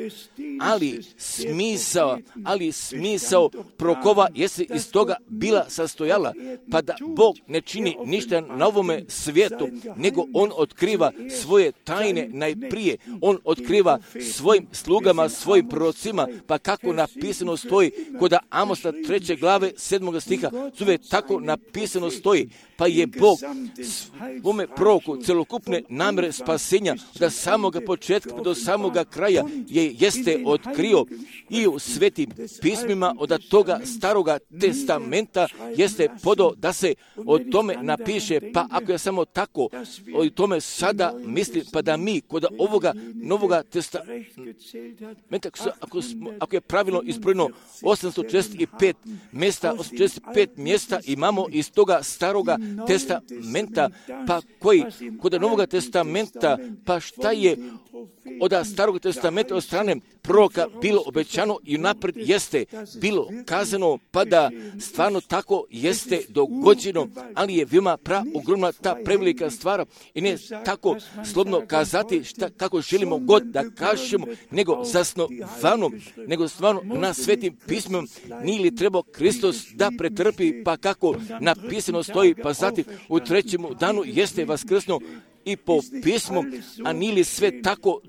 ali smisao prorokova jeste iz toga bila sastojala, pa da Bog ne čini ništa na ovome svijetu, nego on otkriva svoje tajne najprije, on otkriva svojim slugama, svojim prorocima, pa kako napisano stoji kod Amosa 3. glave 7. stiha, zove tako napisano stoji, pa je Bog svome proroku celokupne namjere spasenja od samoga početka do samoga kraja jeste otkrio i u svetim pismima od toga staroga testamenta jeste podao da se o tome napiše, pa ako ja samo tako o tome sada mislim, pa da mi kod ovoga novoga testamenta, ako je pravilno izbrojeno 845 mjesta imamo iz toga staroga testamenta, pa koje koji kod Novog testamenta, pa šta je od Starog testamenta od strane proroka bilo obećano i napred jeste bilo kazano, pa da stvarno tako jeste dogođeno, ali je veoma ogromna ta prevelika stvar i ne tako slobodno kazati kako želimo god da kažemo, nego zasnovano, nego stvarno na Svetim pismom. Nije li trebao Kristus da pretrpi, pa kako napisano stoji, pa zatim u trećem danu jeste vaskrsnuo i po pismu, a nije li sve tako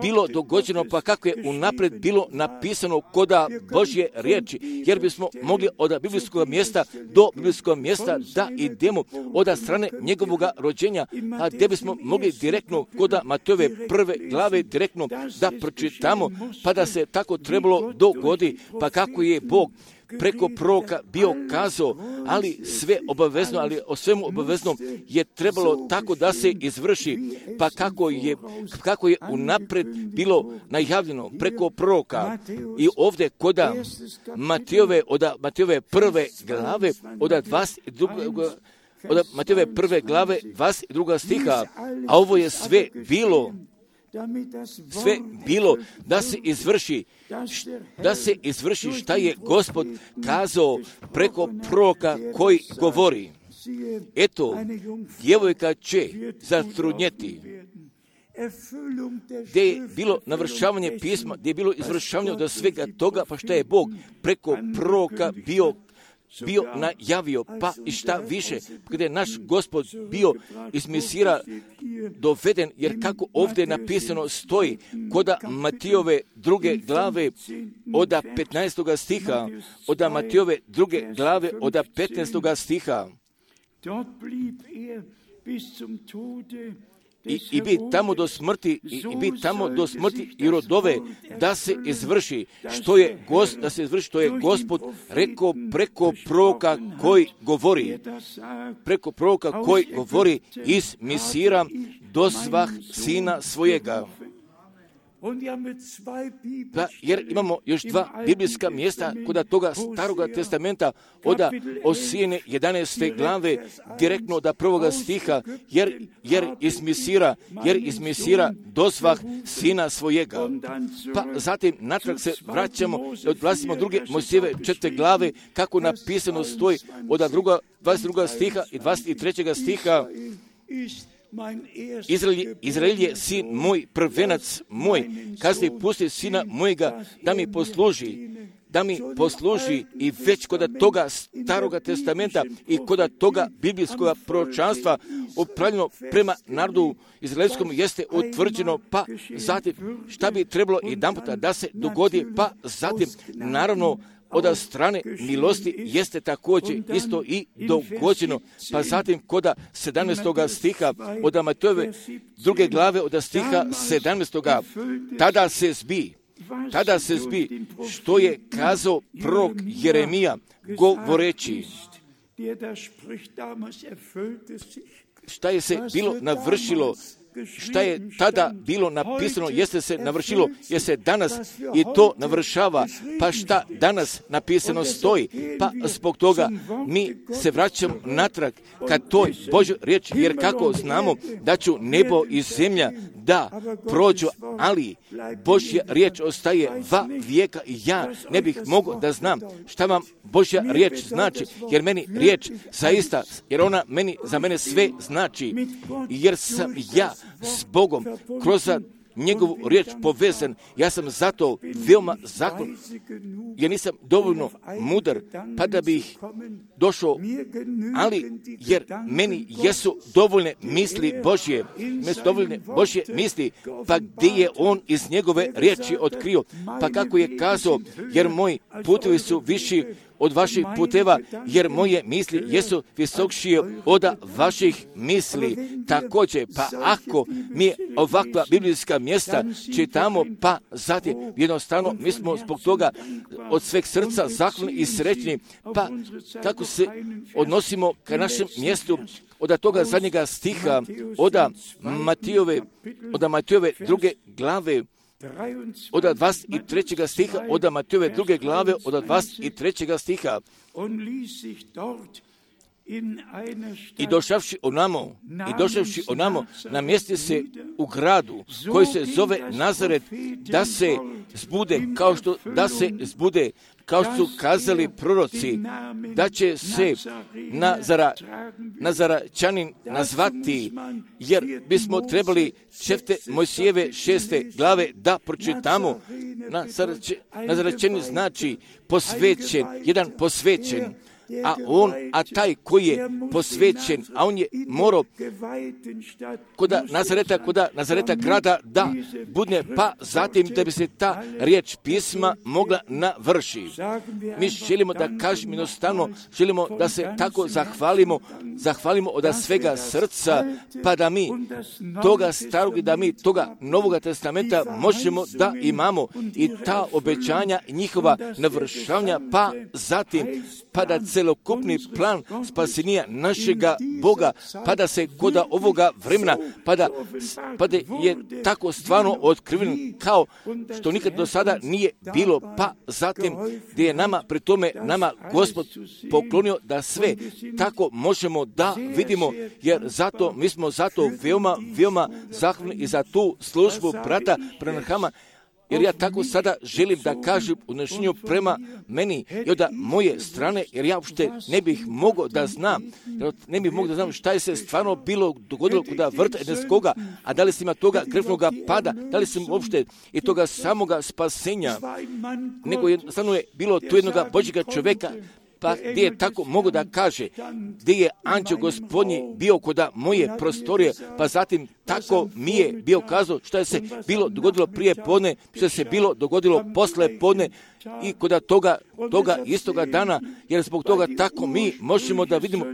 bilo dogođeno, pa kako je unapred bilo napisano koda Božje riječi, jer bismo mogli od biblijskog mjesta do biblijskog mjesta da idemo od strane njegovog rođenja, a gdje bismo mogli direktno koda Matejove prve glave direktno da pročitamo, pa da se tako trebalo dogodi, pa kako je Bog preko proroka bio kazao, ali sve obavezno, ali o svemu obavezno je trebalo tako da se izvrši, pa kako je unapred bilo najavljeno preko proroka. I ovdje koda Matejove prve glave od 22. stiha, a ovo je sve bilo da se izvrši šta je Gospod kazao preko proroka koji govori. Eto, djevojka će zatrudnjeti. Gdje je bilo navršavanje pisma, gdje je bilo izvršavanje od svega toga, pa šta je Bog preko proroka bio najavio, pa i šta više, gdje je naš Gospod bio iz Mesira doveden, jer kako ovdje napisano stoji, koda Matejove druge glave od 15. stiha, od Matejove druge glave od 15. stiha, i bi tamo do smrti, i rodove, da se izvrši što je Gospod rekao preko proroka koji govori iz Mesira dosvah sina svojega. Da, jer imamo još dva biblijska mjesta kod toga Staroga testamenta od Osijene 11. glave direktno od 1. stiha, jer iz Mesira dosvah sina svojega. Pa zatim natrag se vraćamo i odlazimo druge Mojsijeve 4. glave, kako napisano stoji od 22. stiha i 23. stiha. Izrael je sin moj, prvenac moj, kasnije pusti sina mojega da mi posluži i već kod toga Staroga testamenta i kod toga biblijskog proročanstva upravljeno prema narodu izraelskom jeste utvrđeno, pa zatim šta bi trebalo jedanputa da se dogodi, pa zatim naravno od strane milosti jeste također isto i dogođeno, pa zatim koda 17. stiha od Matejove druge glave od stiha 17. Tada se zbi što je kazao prorok Jeremija govoreći. Šta je se bilo navršilo, šta je tada bilo napisano, jeste se navršilo, jer se danas i to navršava, pa šta danas napisano stoji, pa zbog toga mi se vraćamo natrag ka toj Božoj riječi, jer kako znamo da ću nebo i zemlja da prođu, ali Božja riječ ostaje va vijeka i ja ne bih mogao da znam šta vam Božja riječ znači, jer meni riječ zaista, jer ona za mene sve znači, jer sam ja s Bogom kroz njegovu riječ povezan. Ja sam zato veoma zakon, jer nisam dovoljno mudar, pa da bih došao, ali jer meni jesu dovoljne misli Božje, misli, pa gdje je on iz njegove riječi otkrio, pa kako je kazao, jer moji putevi su viši od vaših puteva, jer moje misli jesu visokšije od vaših misli. Također, pa ako mi ovakva biblijska mjesta čitamo, pa zatim jednostavno mi smo zbog toga od sveg srca zahvalni i srećni, pa kako se odnosimo ka našem mjestu od toga zadnjega stiha, od Matejove druge glave, od 23. stiha, od Matejove druge glave, od 23. stiha. I došavši onamo, namjesti se u gradu koji se zove Nazaret, da se zbude, kao što su kazali proroci, da će se Nazaračanin nazvati, jer bismo trebali Mojsijeve 6. glave da pročitamo. Nazaračanin znači posvećen, jedan posvećen. A taj koji je posvećen, a on je morao kod Nazareta grada da budne, pa zatim da bi se ta riječ pisma mogla navrši. Mi želimo da kažemo jednostavno, želimo da se tako zahvalimo od svega srca, pa da mi toga starog i da mi toga Novoga testamenta možemo da imamo i ta obećanja i njihova navršavanja, pa zatim pa da celokupni plan spasenja našega Boga, pa da se kod ovoga vremena, pa da je tako stvarno otkriven kao što nikad do sada nije bilo, pa zatim gdje je nama, pri tome nama Gospod poklonio da sve tako možemo da vidimo, jer zato, mi smo zato veoma zahvalni i za tu službu brata Branhama. Jer ja tako sada želim da kažem u današnju prema meni i od moje strane, jer ja uopšte ne bih mogao da znam šta je se stvarno dogodilo kod vrta Edenskoga, a da li se ima toga krvnoga pada, da li se uopšte i toga samoga spasenja, nego jednostavno je bilo tu jednoga Božjega čovjeka, pa gdje je tako mogu da kaže, gdje je anđeo Gospodnji bio kod moje prostorije, pa zatim tako mi je bio kazao što je se bilo dogodilo prije podne, što se bilo dogodilo posle podne i kod toga istoga dana, jer zbog toga tako mi možemo da vidimo,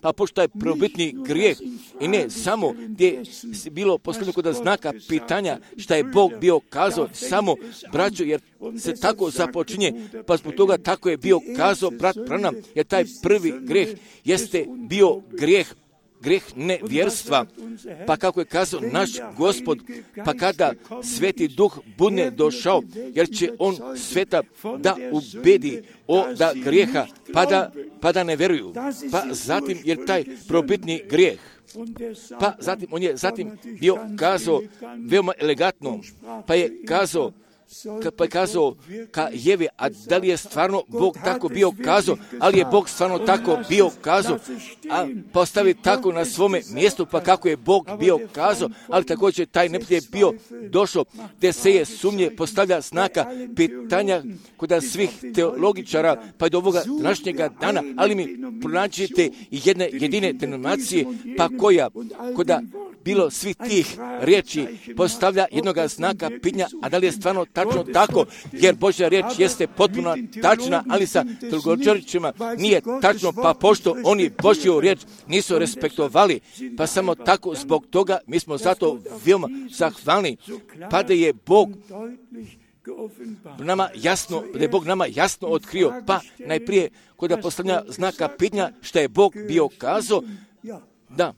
pa pošto je prvobitni grijeh i ne samo gdje je bilo posljedno kod znaka pitanja šta je Bog bio kazao, samo braćo, jer se tako započinje, pa zbog toga tako je bio kazao brat Branham, jer taj prvi grijeh jeste bio grijeh nevjerstva, pa kako je kazao naš Gospod, pa kada Sveti Duh bude došao, jer će on sveta da ubedi da grijeha, pa da ne vjeruju, pa zatim jer taj probitni grijeh, pa zatim on je bio kazao veoma elegantno, pa je kazao ka Jevi, a da li je stvarno Bog tako bio kazao, ali je Bog stvarno tako bio kazao, a postavi tako na svome mjestu, pa kako je Bog bio kazao, ali također taj neprijatelj je bio došao, gdje se je sumnje postavlja znaka pitanja kod svih teologičara, pa i do ovoga današnjega dana, ali mi pronađete jedne jedine denominacije, pa koja koda bilo svih tih riječi postavlja jednoga znaka pitanja, a da li je stvarno tačno tako, jer Božja riječ jeste potpuno tačna, ali sa teologičarima nije tačno, pa pošto oni Božju riječ nisu respektovali, pa samo tako zbog toga mi smo zato veoma zahvalni, pa da je Bog nama jasno otkrio, pa najprije kod postavljanja znaka pitanja šta je Bog bio kazao, da,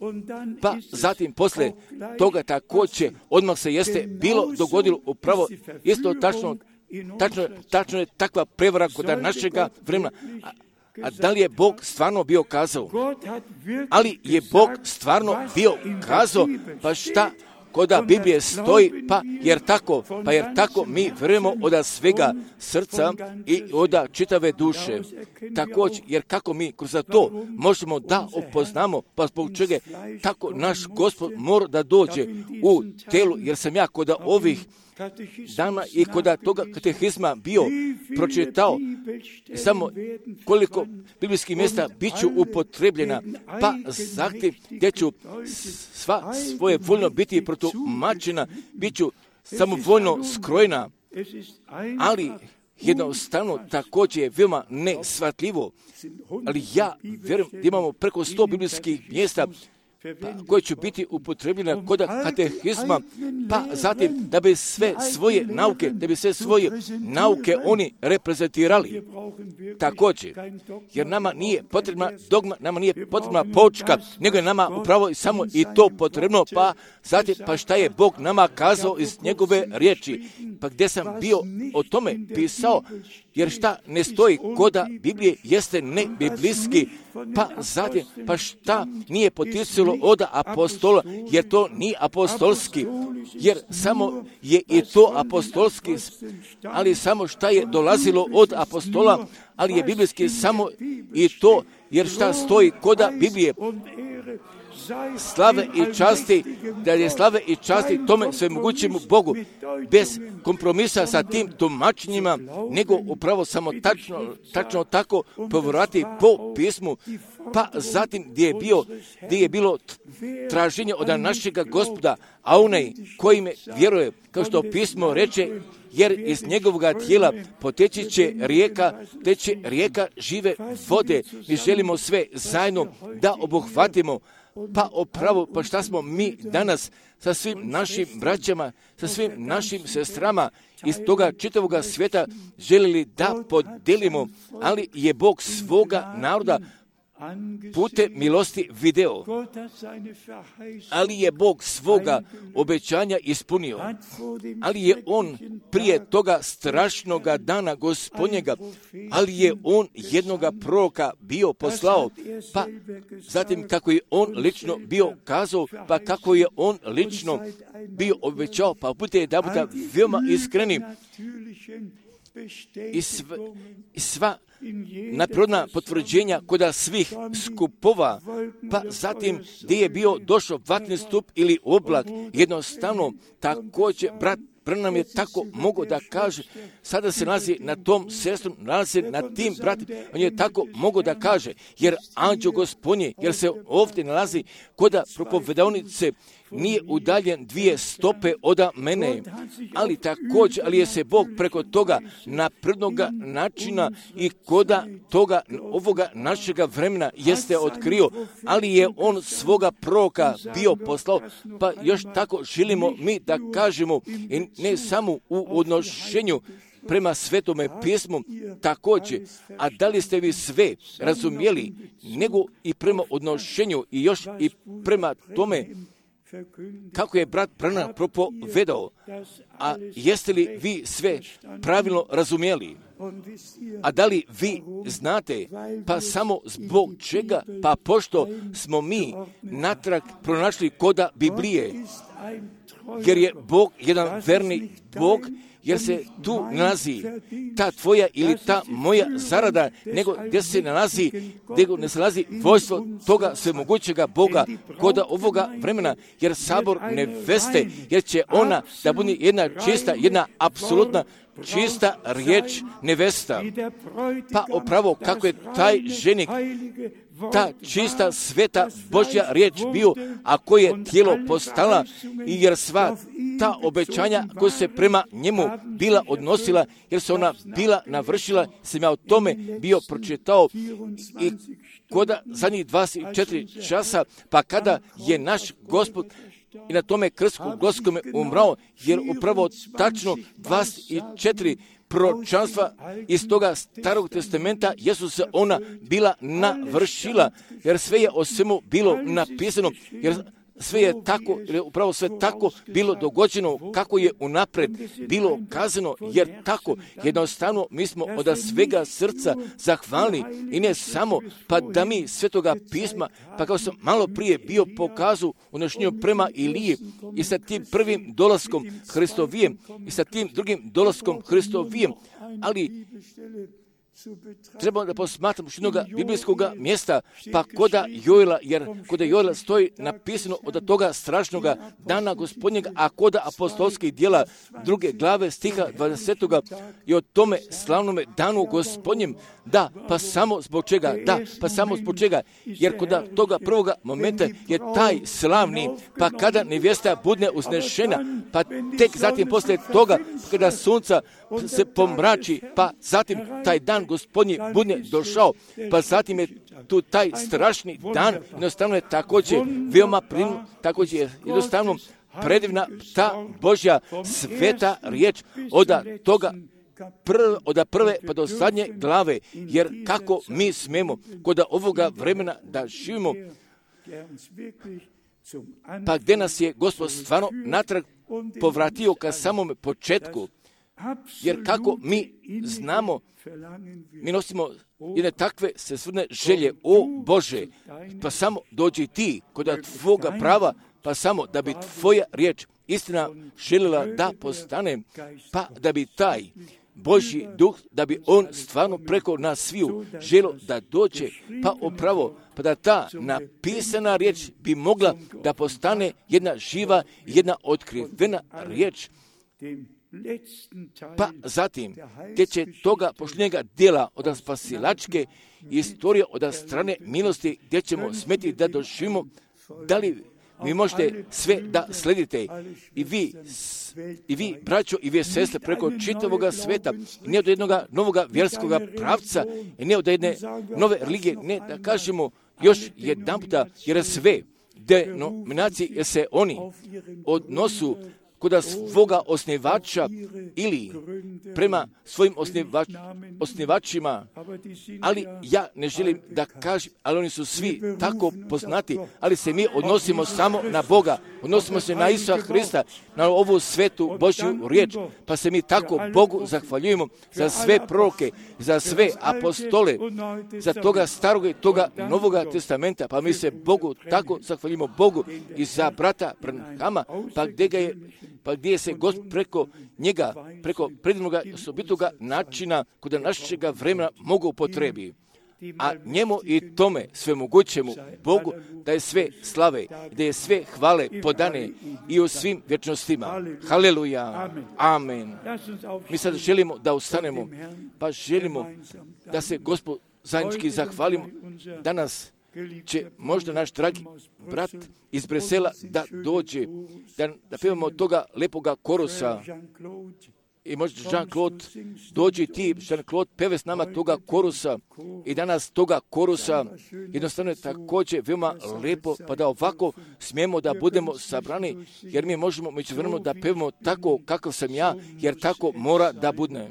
pa zatim posle toga također odmah se jeste bilo dogodilo upravo isto tačno je takva prevara kod našega vremena. A da li je Bog stvarno bio kazao? Ali je Bog stvarno bio kazao, pa šta koda Biblije stoji, jer tako mi vjerujemo od svega srca i od čitave duše. Također, jer kako mi kroz to možemo da upoznamo, pa zbog čega tako naš Gospod mora da dođe u telu, jer sam ja kod ovih dana i kod toga katehizma bio pročitao samo koliko biblijskih mjesta bit ću upotrebljena, pa zatim gdje ću sva svoje voljno biti protumačena, bit ću samovoljno skrojena, ali jednostavno također je veoma nesvatljivo, ali ja vjerujem da imamo preko 100 biblijskih mjesta koje će biti upotrebljena kod katehizma, pa zatim da bi sve svoje nauke oni reprezentirali. Također, jer nama nije potrebna dogma, nama nije potrebna poučka, nego je nama upravo samo i to potrebno, pa zatim, pa šta je Bog nama kazao iz njegove riječi, pa gdje sam bio o tome pisao, jer šta ne stoji koda Biblije jeste ne biblijski, Pa zatim, pa šta nije poticalo od apostola, jer to nije apostolski, jer samo je i to apostolski, ali samo šta je dolazilo od apostola, ali je biblijski samo i to, jer šta stoji koda Biblije, slave i časti, da je slave i časti tome svemogućemu Bogu, bez kompromisa sa tim tumačenjima, nego upravo samo tačno tako povrati po pismu, pa zatim gdje je bilo traženje od našega Gospoda, a onaj koji me vjeruje, kao što pismo reče, jer iz njegovoga tijela poteći će rijeka žive vode. Mi želimo sve zajedno da obuhvatimo, pa opravo, pa šta smo mi danas sa svim našim braćama, sa svim našim sestrama iz toga čitavoga svijeta želili da podelimo, ali je Bog svoga naroda putem milosti video, ali je Bog svoga obećanja ispunio, ali je On prije toga strašnoga dana Gospodnjega, ali je On jednoga proroka bio poslao, pa zatim kako je On lično bio kazao, pa kako je On lično bio obećao, pa budite da bude veoma iskreni i sva naprodna potvrđenja koda svih skupova, pa zatim gdje je bio došao vatni stup ili oblak, jednostavno također brat Branham je tako mogao da kaže, sada se nalazi na tom sestrom, nalazi na tim bratima, on je tako mogao da kaže, jer anđeo Gospodnji, jer se ovdje nalazi koda propovedonice, nije udaljen 2 stope od mene, ali također, ali je se Bog preko toga naprednoga načina i koda toga ovoga našega vremena jeste otkrio, ali je On svoga proroka bio poslao, pa još tako želimo mi da kažemo, i ne samo u odnošenju prema Svetome pismu također, a da li ste vi sve razumjeli, nego i prema odnošenju i još i prema tome kako je brat Branham propovedao, a jeste li vi sve pravilno razumjeli? A da li vi znate, pa samo zbog čega, pa pošto smo mi natrag pronašli koda Biblije, jer je Bog jedan verni Bog, jer se tu nalazi ta tvoja ili ta moja zarada, nego gdje se nalazi vojstvo toga svemogućega Boga koda ovoga vremena, jer sabor neveste, jer će ona da bude jedna čista, jedna apsolutna čista riječ nevesta. Pa upravo kako je taj ženik, ta čista sveta Božja riječ bio, a koje je tijelo postala, i jer sva ta obećanja koja se prema njemu bila odnosila, jer se ona bila navršila, sam ja o tome bio pročitao i koda zadnjih 24 časa, pa kada je naš Gospod i na tome krstu Gospodome umrao, jer upravo tačno 24 proročanstva iz toga Starog testamenta jesu se ona bila navršila, jer sve je o svemu bilo napisano, jer sve je tako, upravo sve tako bilo dogođeno kako je unapred bilo kazano, jer tako jednostavno mi smo od svega srca zahvalni i ne samo pa da mi Svetoga pisma, pa kao sam malo prije bio pokazao u nošnju prema Iliji i sa tim prvim dolaskom Hristovijem i sa tim drugim dolaskom Hristovijem, ali treba da posmatramo jednog biblijskog mjesta, pa koda Joela, jer koda Joela stoji napisano od toga strašnoga dana Gospodnjega, a koda apostolskih djela 2. glave stiha 20. i o tome slavnome danu Gospodnjem, da, pa samo zbog čega, jer koda toga prvoga momenta je taj slavni, pa kada nevjesta bude uznešena, pa tek zatim poslije toga, kada sunca se pomrači, pa zatim taj dan Gospodnji bude došao, pa zatim je tu taj strašni dan, jednostavno je također veoma također je jednostavno predivna ta Božja sveta riječ od prve pa do zadnje glave, jer kako mi smemo kod ovoga vremena da živimo, pa gdje nas je Gospod stvarno natrag povratio ka samom početku, Jer kako mi znamo, mi nosimo jedne takve svesrdne želje, o Bože, pa samo dođi ti kod tvoga prava, pa samo da bi tvoja riječ istina željela da postane, pa da bi taj Božji duh, da bi on stvarno preko nas sviju želio da dođe, pa upravo, pa da ta napisana riječ bi mogla da postane jedna živa, jedna otkrivena riječ. Pa zatim, gdje će toga pošljenjega dijela od spasilačke istorije od strane milosti, gdje ćemo smeti da doživimo, da li vi možete sve da sledite i vi, braćo i vi sestre, preko čitavoga sveta, ne od jednog novog vjerskog pravca, i ne od jedne nove religije, ne da kažemo još jedan puta, jer sve denominacije, jer se oni odnosu kod svoga osnivača ili prema svojim osnivačima, ali ja ne želim da kažem, ali oni su svi tako poznati, ali se mi odnosimo samo na Boga, odnosimo se na Isusa Hrista, na ovu svetu Božju riječ, pa se mi tako Bogu zahvaljujemo za sve proroke, za sve apostole, za toga starog i toga novoga testamenta, pa mi se Bogu tako zahvaljujemo Bogu i za brata Branhama, pa gdje se Gospod preko njega, preko predivnog osobitoga načina kod našega vremena mogu upotrebi. A njemu i tome svemogućemu Bogu da je sve slave, da je sve hvale podane i u svim vječnostima. Haleluja. Amen. Mi sad želimo da ustanemo, pa želimo da se Gospod zajednički zahvalimo. Danas će možda naš dragi brat iz Bresela da dođe, da pevamo toga lepoga korusa. I možda Jean-Claude, dođi ti, Jean-Claude, peve s nama toga korusa i danas toga korusa jednostavno je također veoma lepo, pa da ovako smijemo da budemo sabrani, jer mi možemo međuvremeno da pevamo tako kakav sam ja, jer tako mora da bude.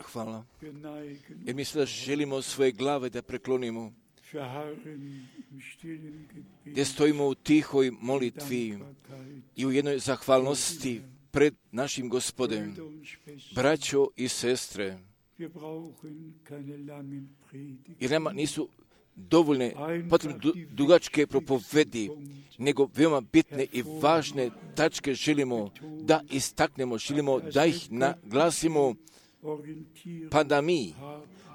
Hvala. Jer mi sada želimo svoje glave da preklonimo, gdje stojimo u tihoj molitvi i u jednoj zahvalnosti pred našim Gospodem. Braćo i sestre, jer nama nisu dovoljne potrebne dugačke propovedi, nego veoma bitne i važne tačke želimo da istaknemo, želimo da ih naglasimo, pa da mi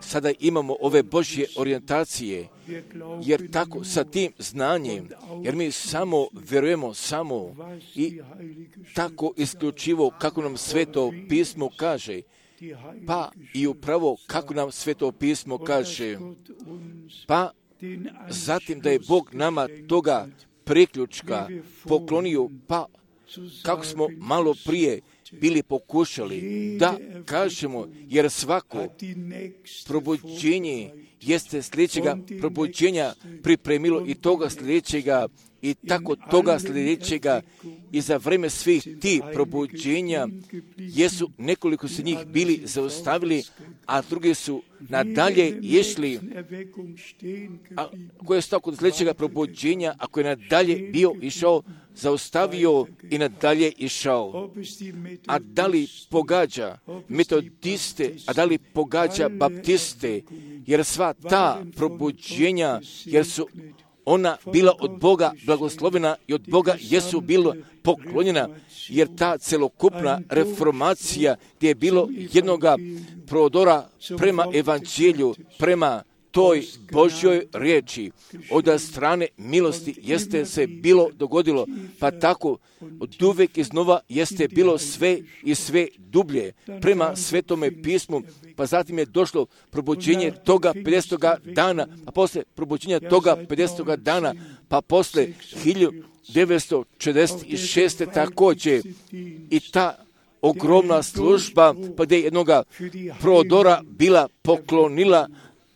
sada imamo ove Božje orijentacije, jer tako sa tim znanjem, jer mi samo vjerujemo samo i tako isključivo kako nam Sveto pismo kaže, pa i upravo kako nam Sveto pismo kaže, pa zatim da je Bog nama toga priključka poklonio, pa kako smo malo prije bili pokušali da kažemo, jer svako probuđenje jeste sljedećega probuđenja pripremilo i toga sljedećega i tako toga sljedećega i za vreme svih tih probuđenja jesu nekoliko se njih bili zaustavili, a drugi su nadalje išli. A ko je stao kod sljedećega probuđenja, ako je nadalje bio išao, zaustavio i nadalje išao. A da li pogađa metodiste, a da li pogađa baptiste, jer sva ta probuđenja, jer su ona bila od Boga blagoslovena i od Boga jesu bila poklonjena, jer ta celokupna reformacija gdje je bilo jednoga prodora prema evanđelju, prema toj Božjoj riječi, od strane milosti jeste se bilo dogodilo, pa tako od uvijek iznova jeste bilo sve i sve dublje prema Svetome pismu, pa zatim je došlo probuđenje toga 50. dana, pa posle probuđenja toga 50. dana, pa posle 1946. također i ta ogromna služba, pa gdje je jednoga prodora bila poklonila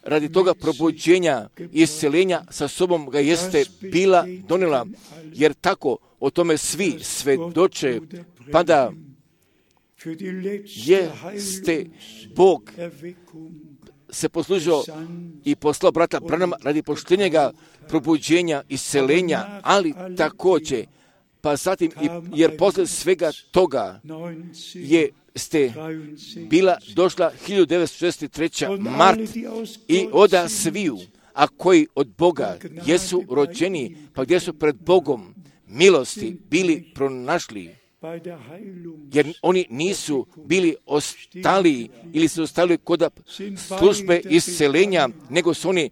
radi toga probuđenja i isceljenja sa sobom ga jeste bila donijela, jer tako o tome svi svedoče, pa da jeste Bog se poslužio i poslao brata Branhama radi poštenjega probuđenja, isceljenja, ali također, pa zatim, jer posle svega toga ste bila došla 1963. mart i oda sviju, a koji od Boga jesu rođeni, pa gdje su pred Bogom milosti bili pronašli, jer oni nisu bili ostali ili su ostali kod službe isceljenja, nego su oni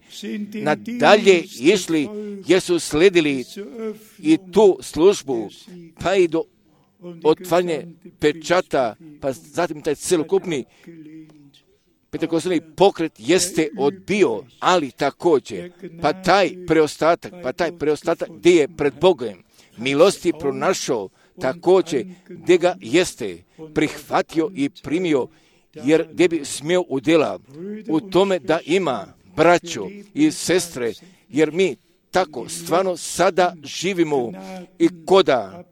nadalje išli jer su sledili i tu službu, pa i do otvaranje pečata, pa zatim taj celokupni pentekostalni pokret jeste odbio, ali također, pa taj preostatak gdje je pred Bogom milosti pronašao, također gdje ga jeste prihvatio i primio, jer gdje bi smio udjela u tome da ima braćo i sestre, jer mi tako stvarno sada živimo i koda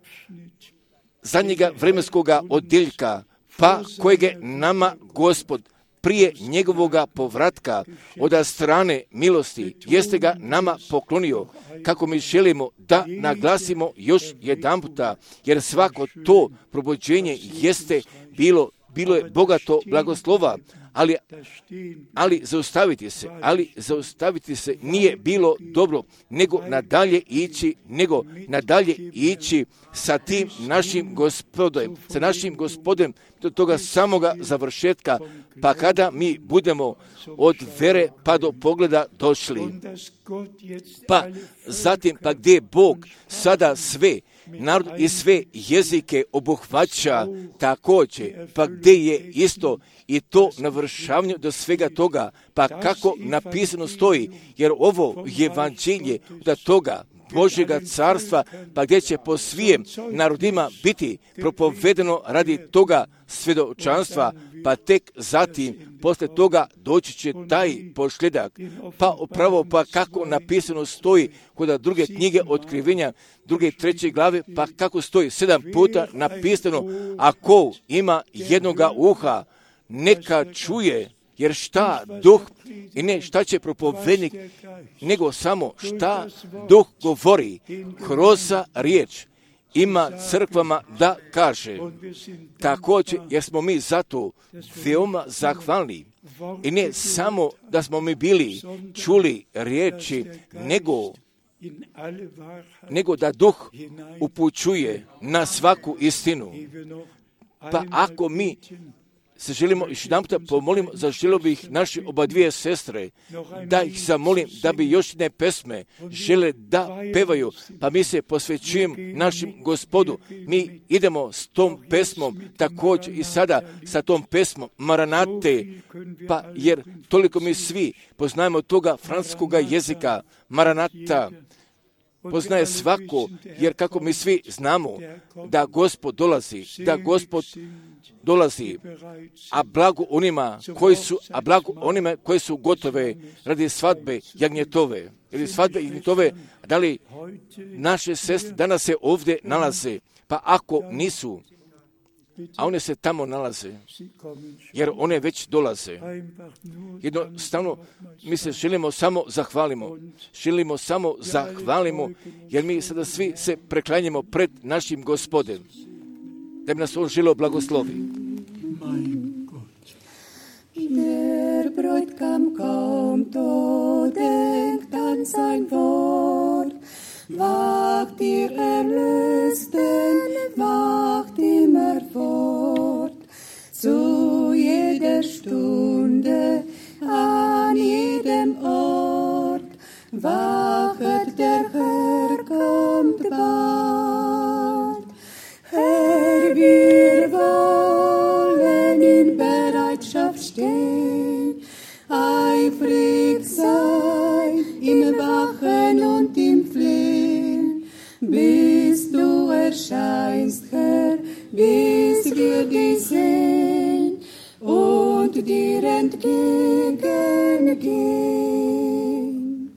zadnjega vremenskoga odjeljka, pa kojeg je nama Gospod prije njegovoga povratka od strane milosti jeste ga nama poklonio, kako mi želimo da naglasimo još jedanputa, jer svako to probuđenje jeste bilo je bogato blagoslova, ali zaustaviti se nije bilo dobro, nego nadalje ići sa tim našim Gospodem do toga samoga završetka, pa kada mi budemo od vere pa do pogleda došli. Pa zatim, pa gdje Bog sada sve narod i sve jezike obuhvaća također, pa gdje je isto i to navršavanje do svega toga, pa kako napisano stoji, jer ovo je evanđelje da toga Božjega carstva, pa gdje će po svijem narodima biti propovedeno radi toga svjedočanstva, pa tek zatim, poslije toga doći će taj posljedak. Pa upravo, pa kako napisano stoji kod druge knjige otkrivenja, druge i treće glave, pa kako stoji 7 puta napisano, ako ima jednoga uha, neka čuje, jer šta duh i ne šta će propovednik, nego samo šta duh govori kroz riječ ima crkvama da kaže. Također, jer smo mi zato veoma zahvalni. I ne samo da smo mi bili čuli riječi, nego da duh upućuje na svaku istinu. Pa ako mi se želimo još jedan puta pomolimo, zaželio bih naše oba dvije sestre, da ih zamolim da bi još jedne pesme žele da pevaju, pa mi se posvećujem našim Gospodu. Mi idemo s tom pesmom, također i sada sa tom pesmom Maranate, pa jer toliko mi svi poznajemo toga francuskoga jezika, Maranata, poznaje svako, jer kako mi svi znamo da Gospod dolazi, a blago onima koji su gotove radi svadbe jagnjetove. Ili svadbe jagnjetove, da li naše sestre danas se ovdje nalaze, pa ako nisu, a one se tamo nalaze, jer one već dolaze. Jednostavno, mi se želimo samo zahvalimo, jer mi sada svi se preklanjamo pred našim Gospodem, da bi nas on želio blagoslovi. Der Bräutigam kommt, o denkt an sein Wort, wacht ihr Erlösten, wacht immer fort, zu jeder Stunde, an jedem Ort, wachet der Herr kommt bald. Herr, wir wollen in Bereitschaft stehen, eifrig sein im Wachen und im Flehen, bis du erscheinst, Herr, bis wir dich sehen und dir entgegengehen.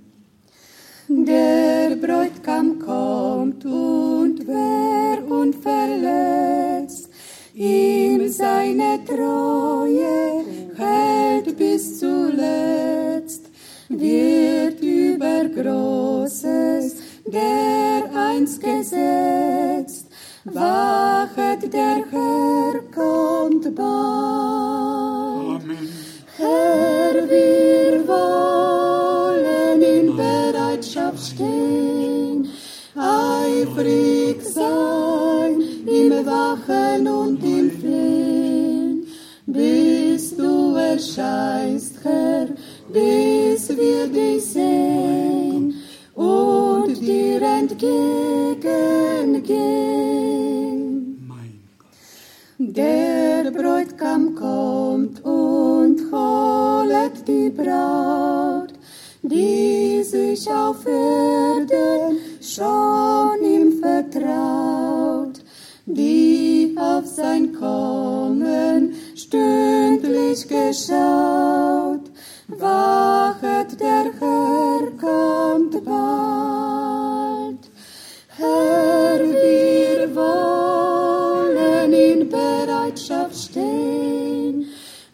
Der Bräutigam kommt und wer unverletzt ihm seine Treue hält bis zuletzt, wird über Großes dereinst gesetzt, wachet der Herr kommt bald. Amen. Herr, wir wollen in Bereitschaft stehen, eifrig sein im Wachen und im Flehen, bis du erscheinst, Herr, bis wir dich sehen und dir entgegengehen. Der Bräutigam kommt und holet die Braut, die sich auf Erden schon ihm vertraut, die auf sein Kommen stündlich geschaut, wachet der Herr kommt bald. Herr, wir wollen in Bereitschaft stehen,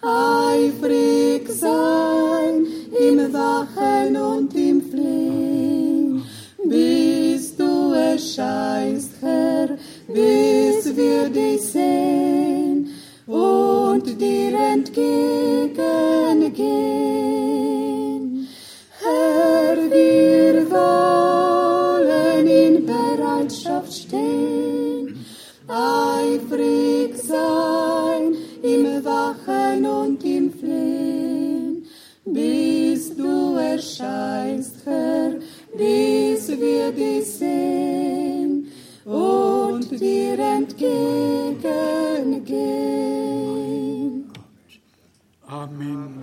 eifrig sein im Wachen und im Flehen, bis du erscheinst, Herr, bis wir dich sehen und dir entgegengehen. Herr, wir wollen in Bereitschaft stehen, eifrig sein im Wachen und im Flehen, bis du erscheinst, Herr, bis wir dich sehen und dir entgegengehen. Amen.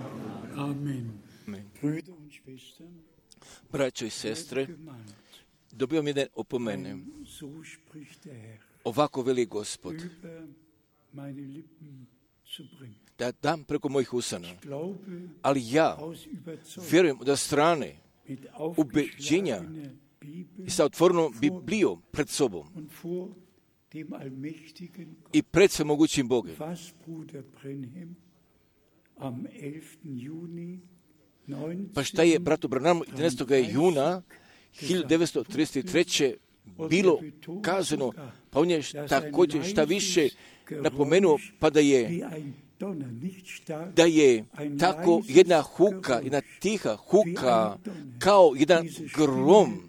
Amen. Brüder und Schwestern, braćo i sestre, dobio mi da opomene. so spricht der Herr, Ovako veli Gospod, über meine Lippen zu bringen. da dam preko mojih usana. Glaube Ali ja aus Überzeugung vjerujem da strane mit ubeđenja aufgeschlagener Bibel i sa otvorenom Biblijom pred sobom und vor dem allmächtigen i pred svemogućim Bogom. was Bruder Brenhem Pa šta je bratu Branamu 11. juna 1933. bilo kazano, pa on je također šta više napomenuo, pa da je tako jedna huka, jedna tiha huka, kao jedan grom,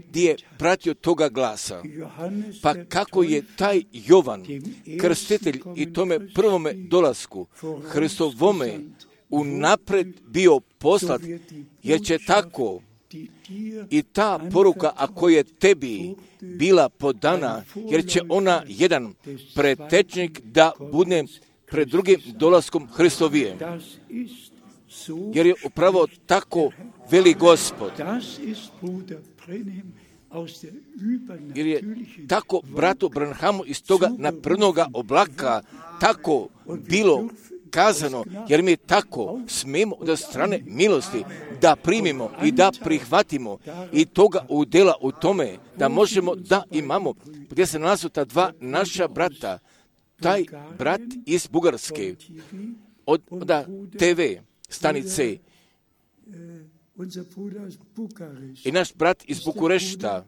gdje je pratio toga glasa. Pa kako je taj Jovan, krstitelj i tome prvome dolasku, Hristovome, unapred bio poslat, jer će tako i ta poruka, ako je tebi bila podana, jer će ona jedan pretečnik da bude pred drugim dolaskom Hristovije. Jer je upravo tako veli Gospod. Jer je tako bratu Branhamu iz toga naprednoga oblaka tako bilo kazano, jer mi tako smemo od strane milosti da primimo i da prihvatimo i toga udjela u tome da možemo da imamo, gdje se nalazu ta dva naša brata, taj brat iz Bugarske, od TV stanice i naš brat iz Bukurešta.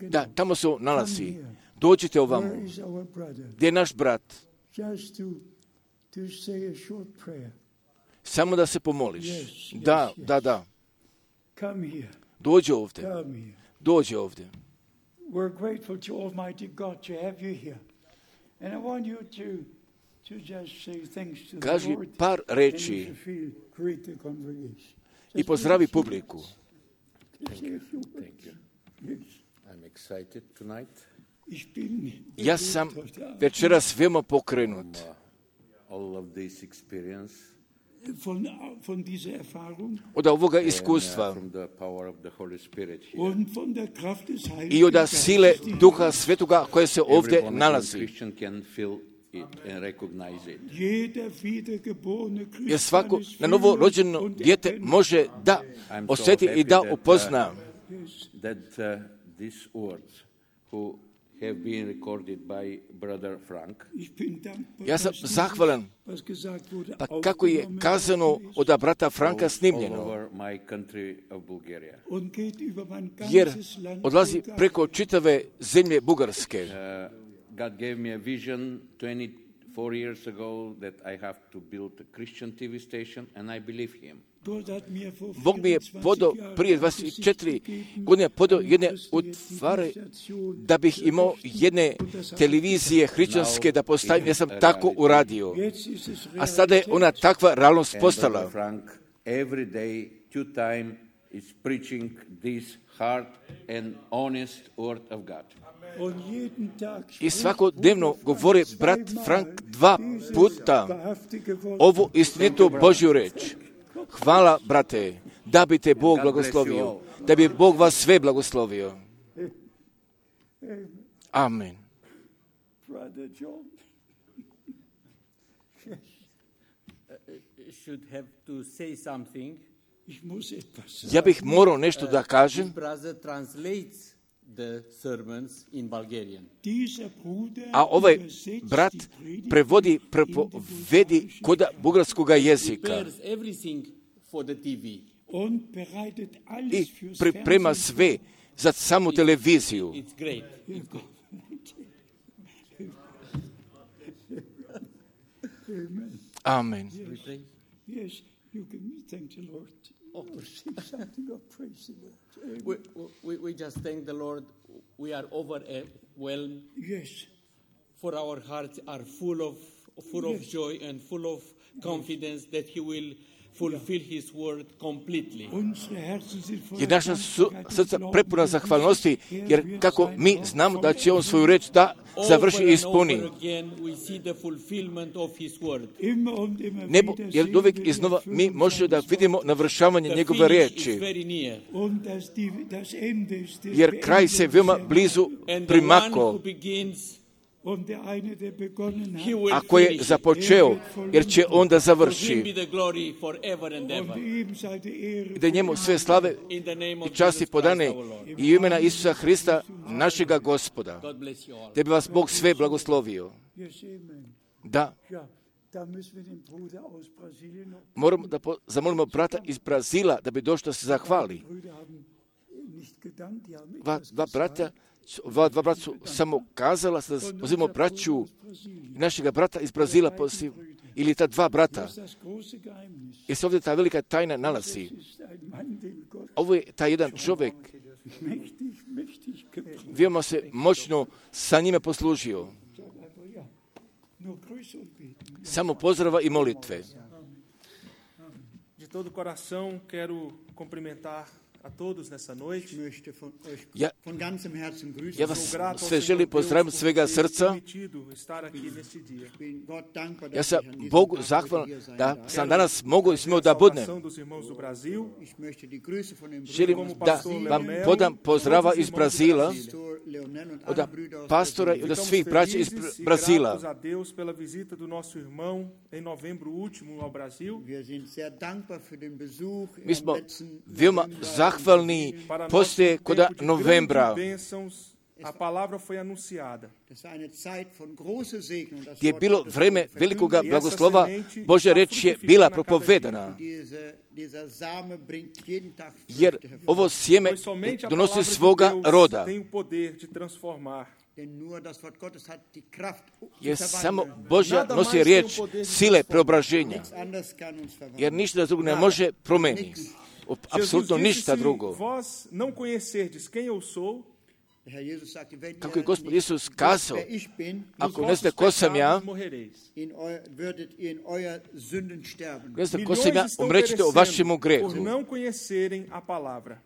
Da, tamo se nalazi. Dođite ovamo. Gdje je naš brat? Samo da se pomoliš. Da. Dođi ovdje. Dođi ovdje. We're grateful to Almighty God to have you here. And I want you to just say thanks to the Kaži Lord. par reči i pozdravi publiku. Thank you. I'm excited tonight. Ja sam večeras veoma pokrenut. All of this experience. Von dieser Erfahrung Od ovoga iskustva From the power of the Holy Spirit here. und von der Kraft des i Heiligen od sile Duha Svetoga koje se ovdje Every nalazi. Christian can feel it and recognize it. Jeder wiedergeborene Jer svako Christ na novo rođeno dijete može da osjeti i da upozna That these words who have been recorded by Brother Frank. Ja sam zahvalan, pa kako je kazano od brata Franka snimljeno, Over my country of Bulgaria. jer odlazi preko čitave zemlje Bugarske. God gave me a vision 24 years ago that I have to build a Christian TV station, and I believe him. Bog mi je podao prije 24 godine podao jedne utvare da bih imao jedne televizije hrišćanske da postavim. Ja sam tako uradio. A sada je ona takva realnost postala. And Frank every day, 2 times, is preaching this hard and honest word of God. I svakodnevno govori brat Frank 2 puta ovu istinitu Božju reč. Hvala, brate, da bi te Bog blagoslovio, da bi Bog vas sve blagoslovio. Amen. Should have to say something. Ja bih morao nešto da kažem. Brother translates the sermons in Bulgarian. A ovaj brat prevodi prepovedi kod bugarskog jezika Prepares everything for the TV. i priprema sve za samu televiziju. It's great. Amen. Yes, you can thank the Lord. Say something of praise the Lord. We just thank the Lord. We are overwhelmed. Yes. For our hearts are full of joy and full of confidence that He will fulfill His word completely. Jer naša srca prepuna zahvalnosti, jer kako mi znamo da će on svoju reč da završi i ispuni. Nebo, jer uvijek iznova mi možemo da vidimo navršavanje njegove riječi. Jer kraj se veoma blizu primako. Und der eine, der begonnen he hat, will A ko je finish. započeo, jer će onda To him završi. be the glory forever and ever. und ihm sei die Ehre. I da njemu sve slave In the name i of časti Jesus podane Christ, our Lord. i u imena Isusa Hrista, našega Gospoda. God bless you all. Da bi vas Bog sve blagoslovio. Yes, amen. Da, Ja, da müssen wir den Bruder aus Brasilien noch. moramo da zamolimo brata iz Brazila da bi došao da se zahvali. Brüder haben nicht gedankt, die haben Dva brata su samo kazala da pozivamo braću našega brata iz Brazila ili ta dva brata. das große Geheimnis. Jer se ovdje ta velika tajna nalazi. Ist ein Mann, den Gott Ovo je taj jedan čovjek, mächtig gebraucht. veoma se moćno sa njime poslužio. Aber ja, nur Grüße und Beten. Samo pozdrava i molitve. De todo coração, quero cumprimentar a todos nessa noite. Ich möchte von euch Ja, von ganzem Herzen grüßen. ja vas sve želim pozdraviti od svega srca. Permitido estar aqui neste dia. Ich bin Gott dankbar, Ja dass sam ich an diesem Bogu Tag zahvalan heute hier sein da darf. sam danas mogu i smio da A budem. saudação dos irmãos do Brasil. Ich möchte die Grüße von den Želim Brüdern da vam podam pozdrava iz Brazila, Pastor Leonel und od alle Brüder aus pastora i od Estamos svih braća iz felizes e Brazila. gratos a Deus pela visita do nosso irmão em novembro último ao Brasil. Wir sind sehr dankbar für den Besuch Mi im smo letzten veoma November. zahvalni Para poslije nosso koda tempo de novembra, grandes bênçãos, a palavra foi anunciada. Das war eine Zeit von großer Segen und das gdje je Wort bilo Gottes vreme wurde velikoga verkündigt. blagoslova, Božja reč je bila propovedana. Dieser Same bringt jeden Tag Jer Früchte hervor. ovo sjeme Pois somente a donosi palavra de svoga Deus roda. tem o poder de transformar. Denn nur das Wort Gottes hat die Kraft zu Jer samo verwandeln. Božja Nada nosi mais riječ tem o poder de sile transformar. preobraženja. Nichts anderes kann uns verwandeln. Jer ništa drugo ne može promeniti. Apsolutno Jesus disse, ništa se drugo. vós não conhecerdes quem eu sou, Der Herr Jesus sagte, wenn Kako je ihr Gospod nicht Isus wisst, kazao, wer ich bin, ako nos ne znate vossos ko sam ja, pecados morrereis. würdet ihr in euer Sünden sterben. ne znate ko Milhões sam ja, estão umrećete o vašemu perecendo grehu. por não conhecerem a palavra.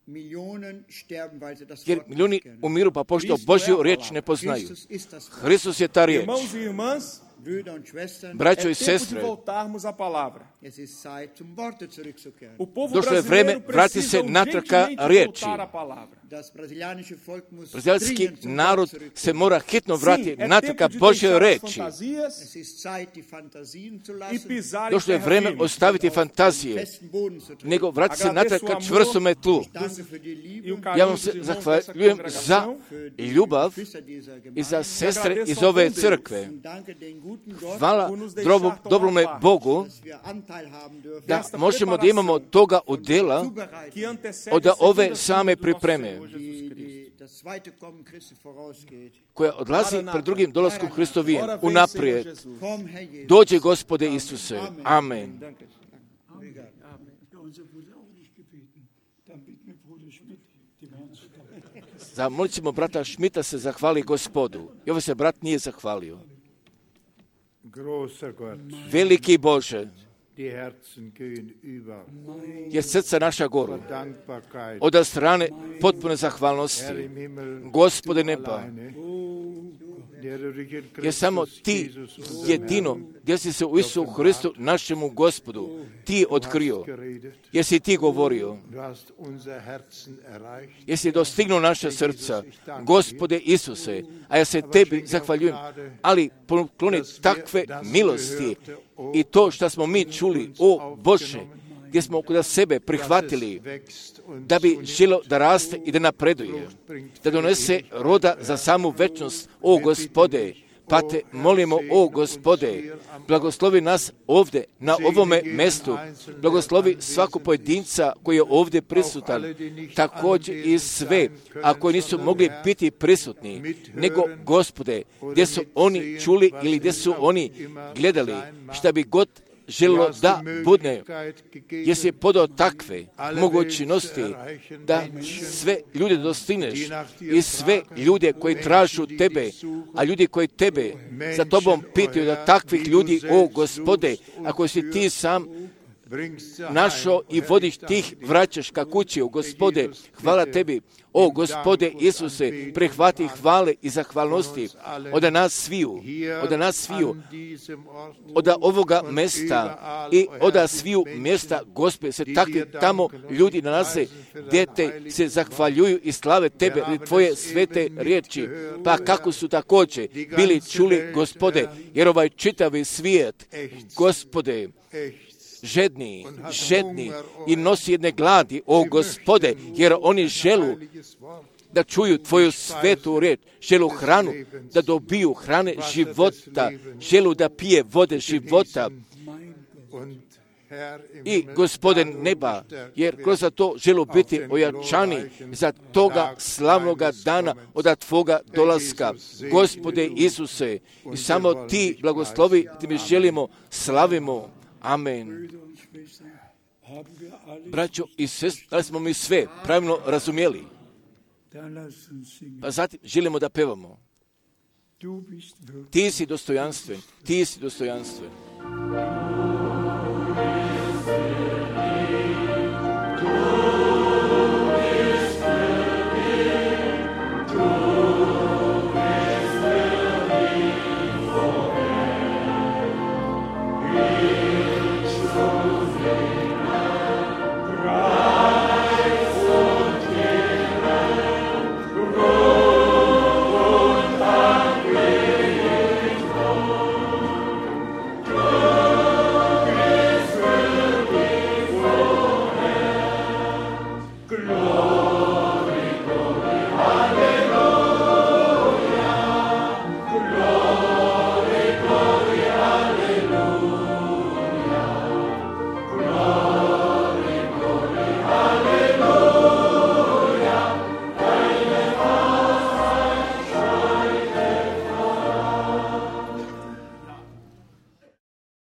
Millionen sterben, weil sie das Jer Wort milijuni nicht kennen. umiru pa pošto Kristo Božju je riječ ne poznaju. Christus ist das Wort. Hristos je ta riječ. Irmãos e irmãs, Brüder und Schwestern, Braćo é i tempo de sestre, voltarmos à palavra. es ist Zeit, zum Worte zurückzukehren. O povo Došlo je brasileiro vreme vrati se precisa natrag ka urgentemente riječi. voltar à palavra. Das brasilianische Volk muss Brazilski dringend zum narod Wort zurückkehren. se mora hitno Sim, vratiti é natrag ka tempo de Božjoj deixar as reči. fantasias Es ist Zeit, die Fantasien zu e lassen, pisar em Došlo je terra vreme firme. ostaviti auf den fantazije, festen Boden zu treten. nego vratiti se natrag ka čvrstome tlu. Danke für die Liebe, E o Ja carinho vam dos se irmãos dessa zahvaljujem za congregação. für die ljubav Geschwister dieser i Gemeinde. za sestre iz ove crkve. Und danke den guten Gott, Hvala por nos deixar tomar dobrome parte. Bogu dass wir Anteil haben dürfen. da možemo da imamo toga udjela Que antecede od a segunda ove vinda same do nosso pripreme Senhor Jesus Cristo. Das zweite Kommen Christi vorausgeht. koja odlazi pred drugim dolaskom Hristovijem Ora vem, unaprijed. Senhor Jesus. Komm, Herr Jesus. Dođe Gospode Isuse. Amen. Danke. Ja, unser wurde auch nicht gebeten. Dann bitten wir Bruder Schmidt, dem Herrn zu danken. Zamolit ćemo brata Šmita se zahvali Gospodu. I ovo se brat nije zahvalio. Großer Gott, Veliki Bože, die Herzen gehen über. jer srca naša goru. Dankbarkeit, Od strane potpune Herr zahvalnosti. im Himmel, Gospode du neba, alleine, der du dich in jer samo Christus ti Jesus, unserem jedino, Herrn, gdje si se u Isu Hristu, našemu Gospodu, ti otkrio, geredet. jer si ti govorio, Du hast unser Herzen erreicht. jer si dostignuo naše srca, Gospode Isuse, a ja se tebi zahvaljujem, ali pokloni takve milosti i to što smo mi čuli, o Bože, gdje smo kod sebe prihvatili, da bi želo da raste i da napreduje, da donese roda za samu večnost, o Gospode, pa te molimo, o Gospode, blagoslovi nas ovdje, na ovome mjestu, blagoslovi svaku pojedinca koji je ovdje prisutan, također i sve, a koji nisu mogli biti prisutni, nego Gospode, gdje su oni čuli ili gdje su oni gledali, šta bi god želilo da bude, jer si podao takve mogućnosti da sve ljude dostigneš i sve ljude koji tražu tebe, a ljudi koji tebe za tobom pitaju, da takvih ljudi, o Gospode, ako si ti sam našao i vodiš tih, vraćaš ka kući, o Gospode, hvala Tebi, o Gospode Isuse, prihvati hvale i zahvalnosti od nas sviju, od ovoga mjesta i od sviju mjesta, Gospode, se takvi tamo ljudi nalaze, gdje te se zahvaljuju i slave Tebe i Tvoje svete riječi, pa kako su također bili čuli, Gospode, jer ovaj čitavi svijet, Gospode, žedni i nosi jedne gladi, o Gospode, jer oni želu da čuju Tvoju svetu riječ, želu hranu, da dobiju hrane života, želu da pije vode života. I Gospode neba, jer kroz to želu biti ojačani za toga slavnoga dana od Tvoga dolaska. Gospode Isuse, i samo Ti blagoslovi, Ti mi želimo, slavimo. Amen. Braćo i sestre, da li smo mi sve pravilno razumjeli? Pa zatim želimo da pevamo. Ti si dostojanstven, Ti si dostojanstven.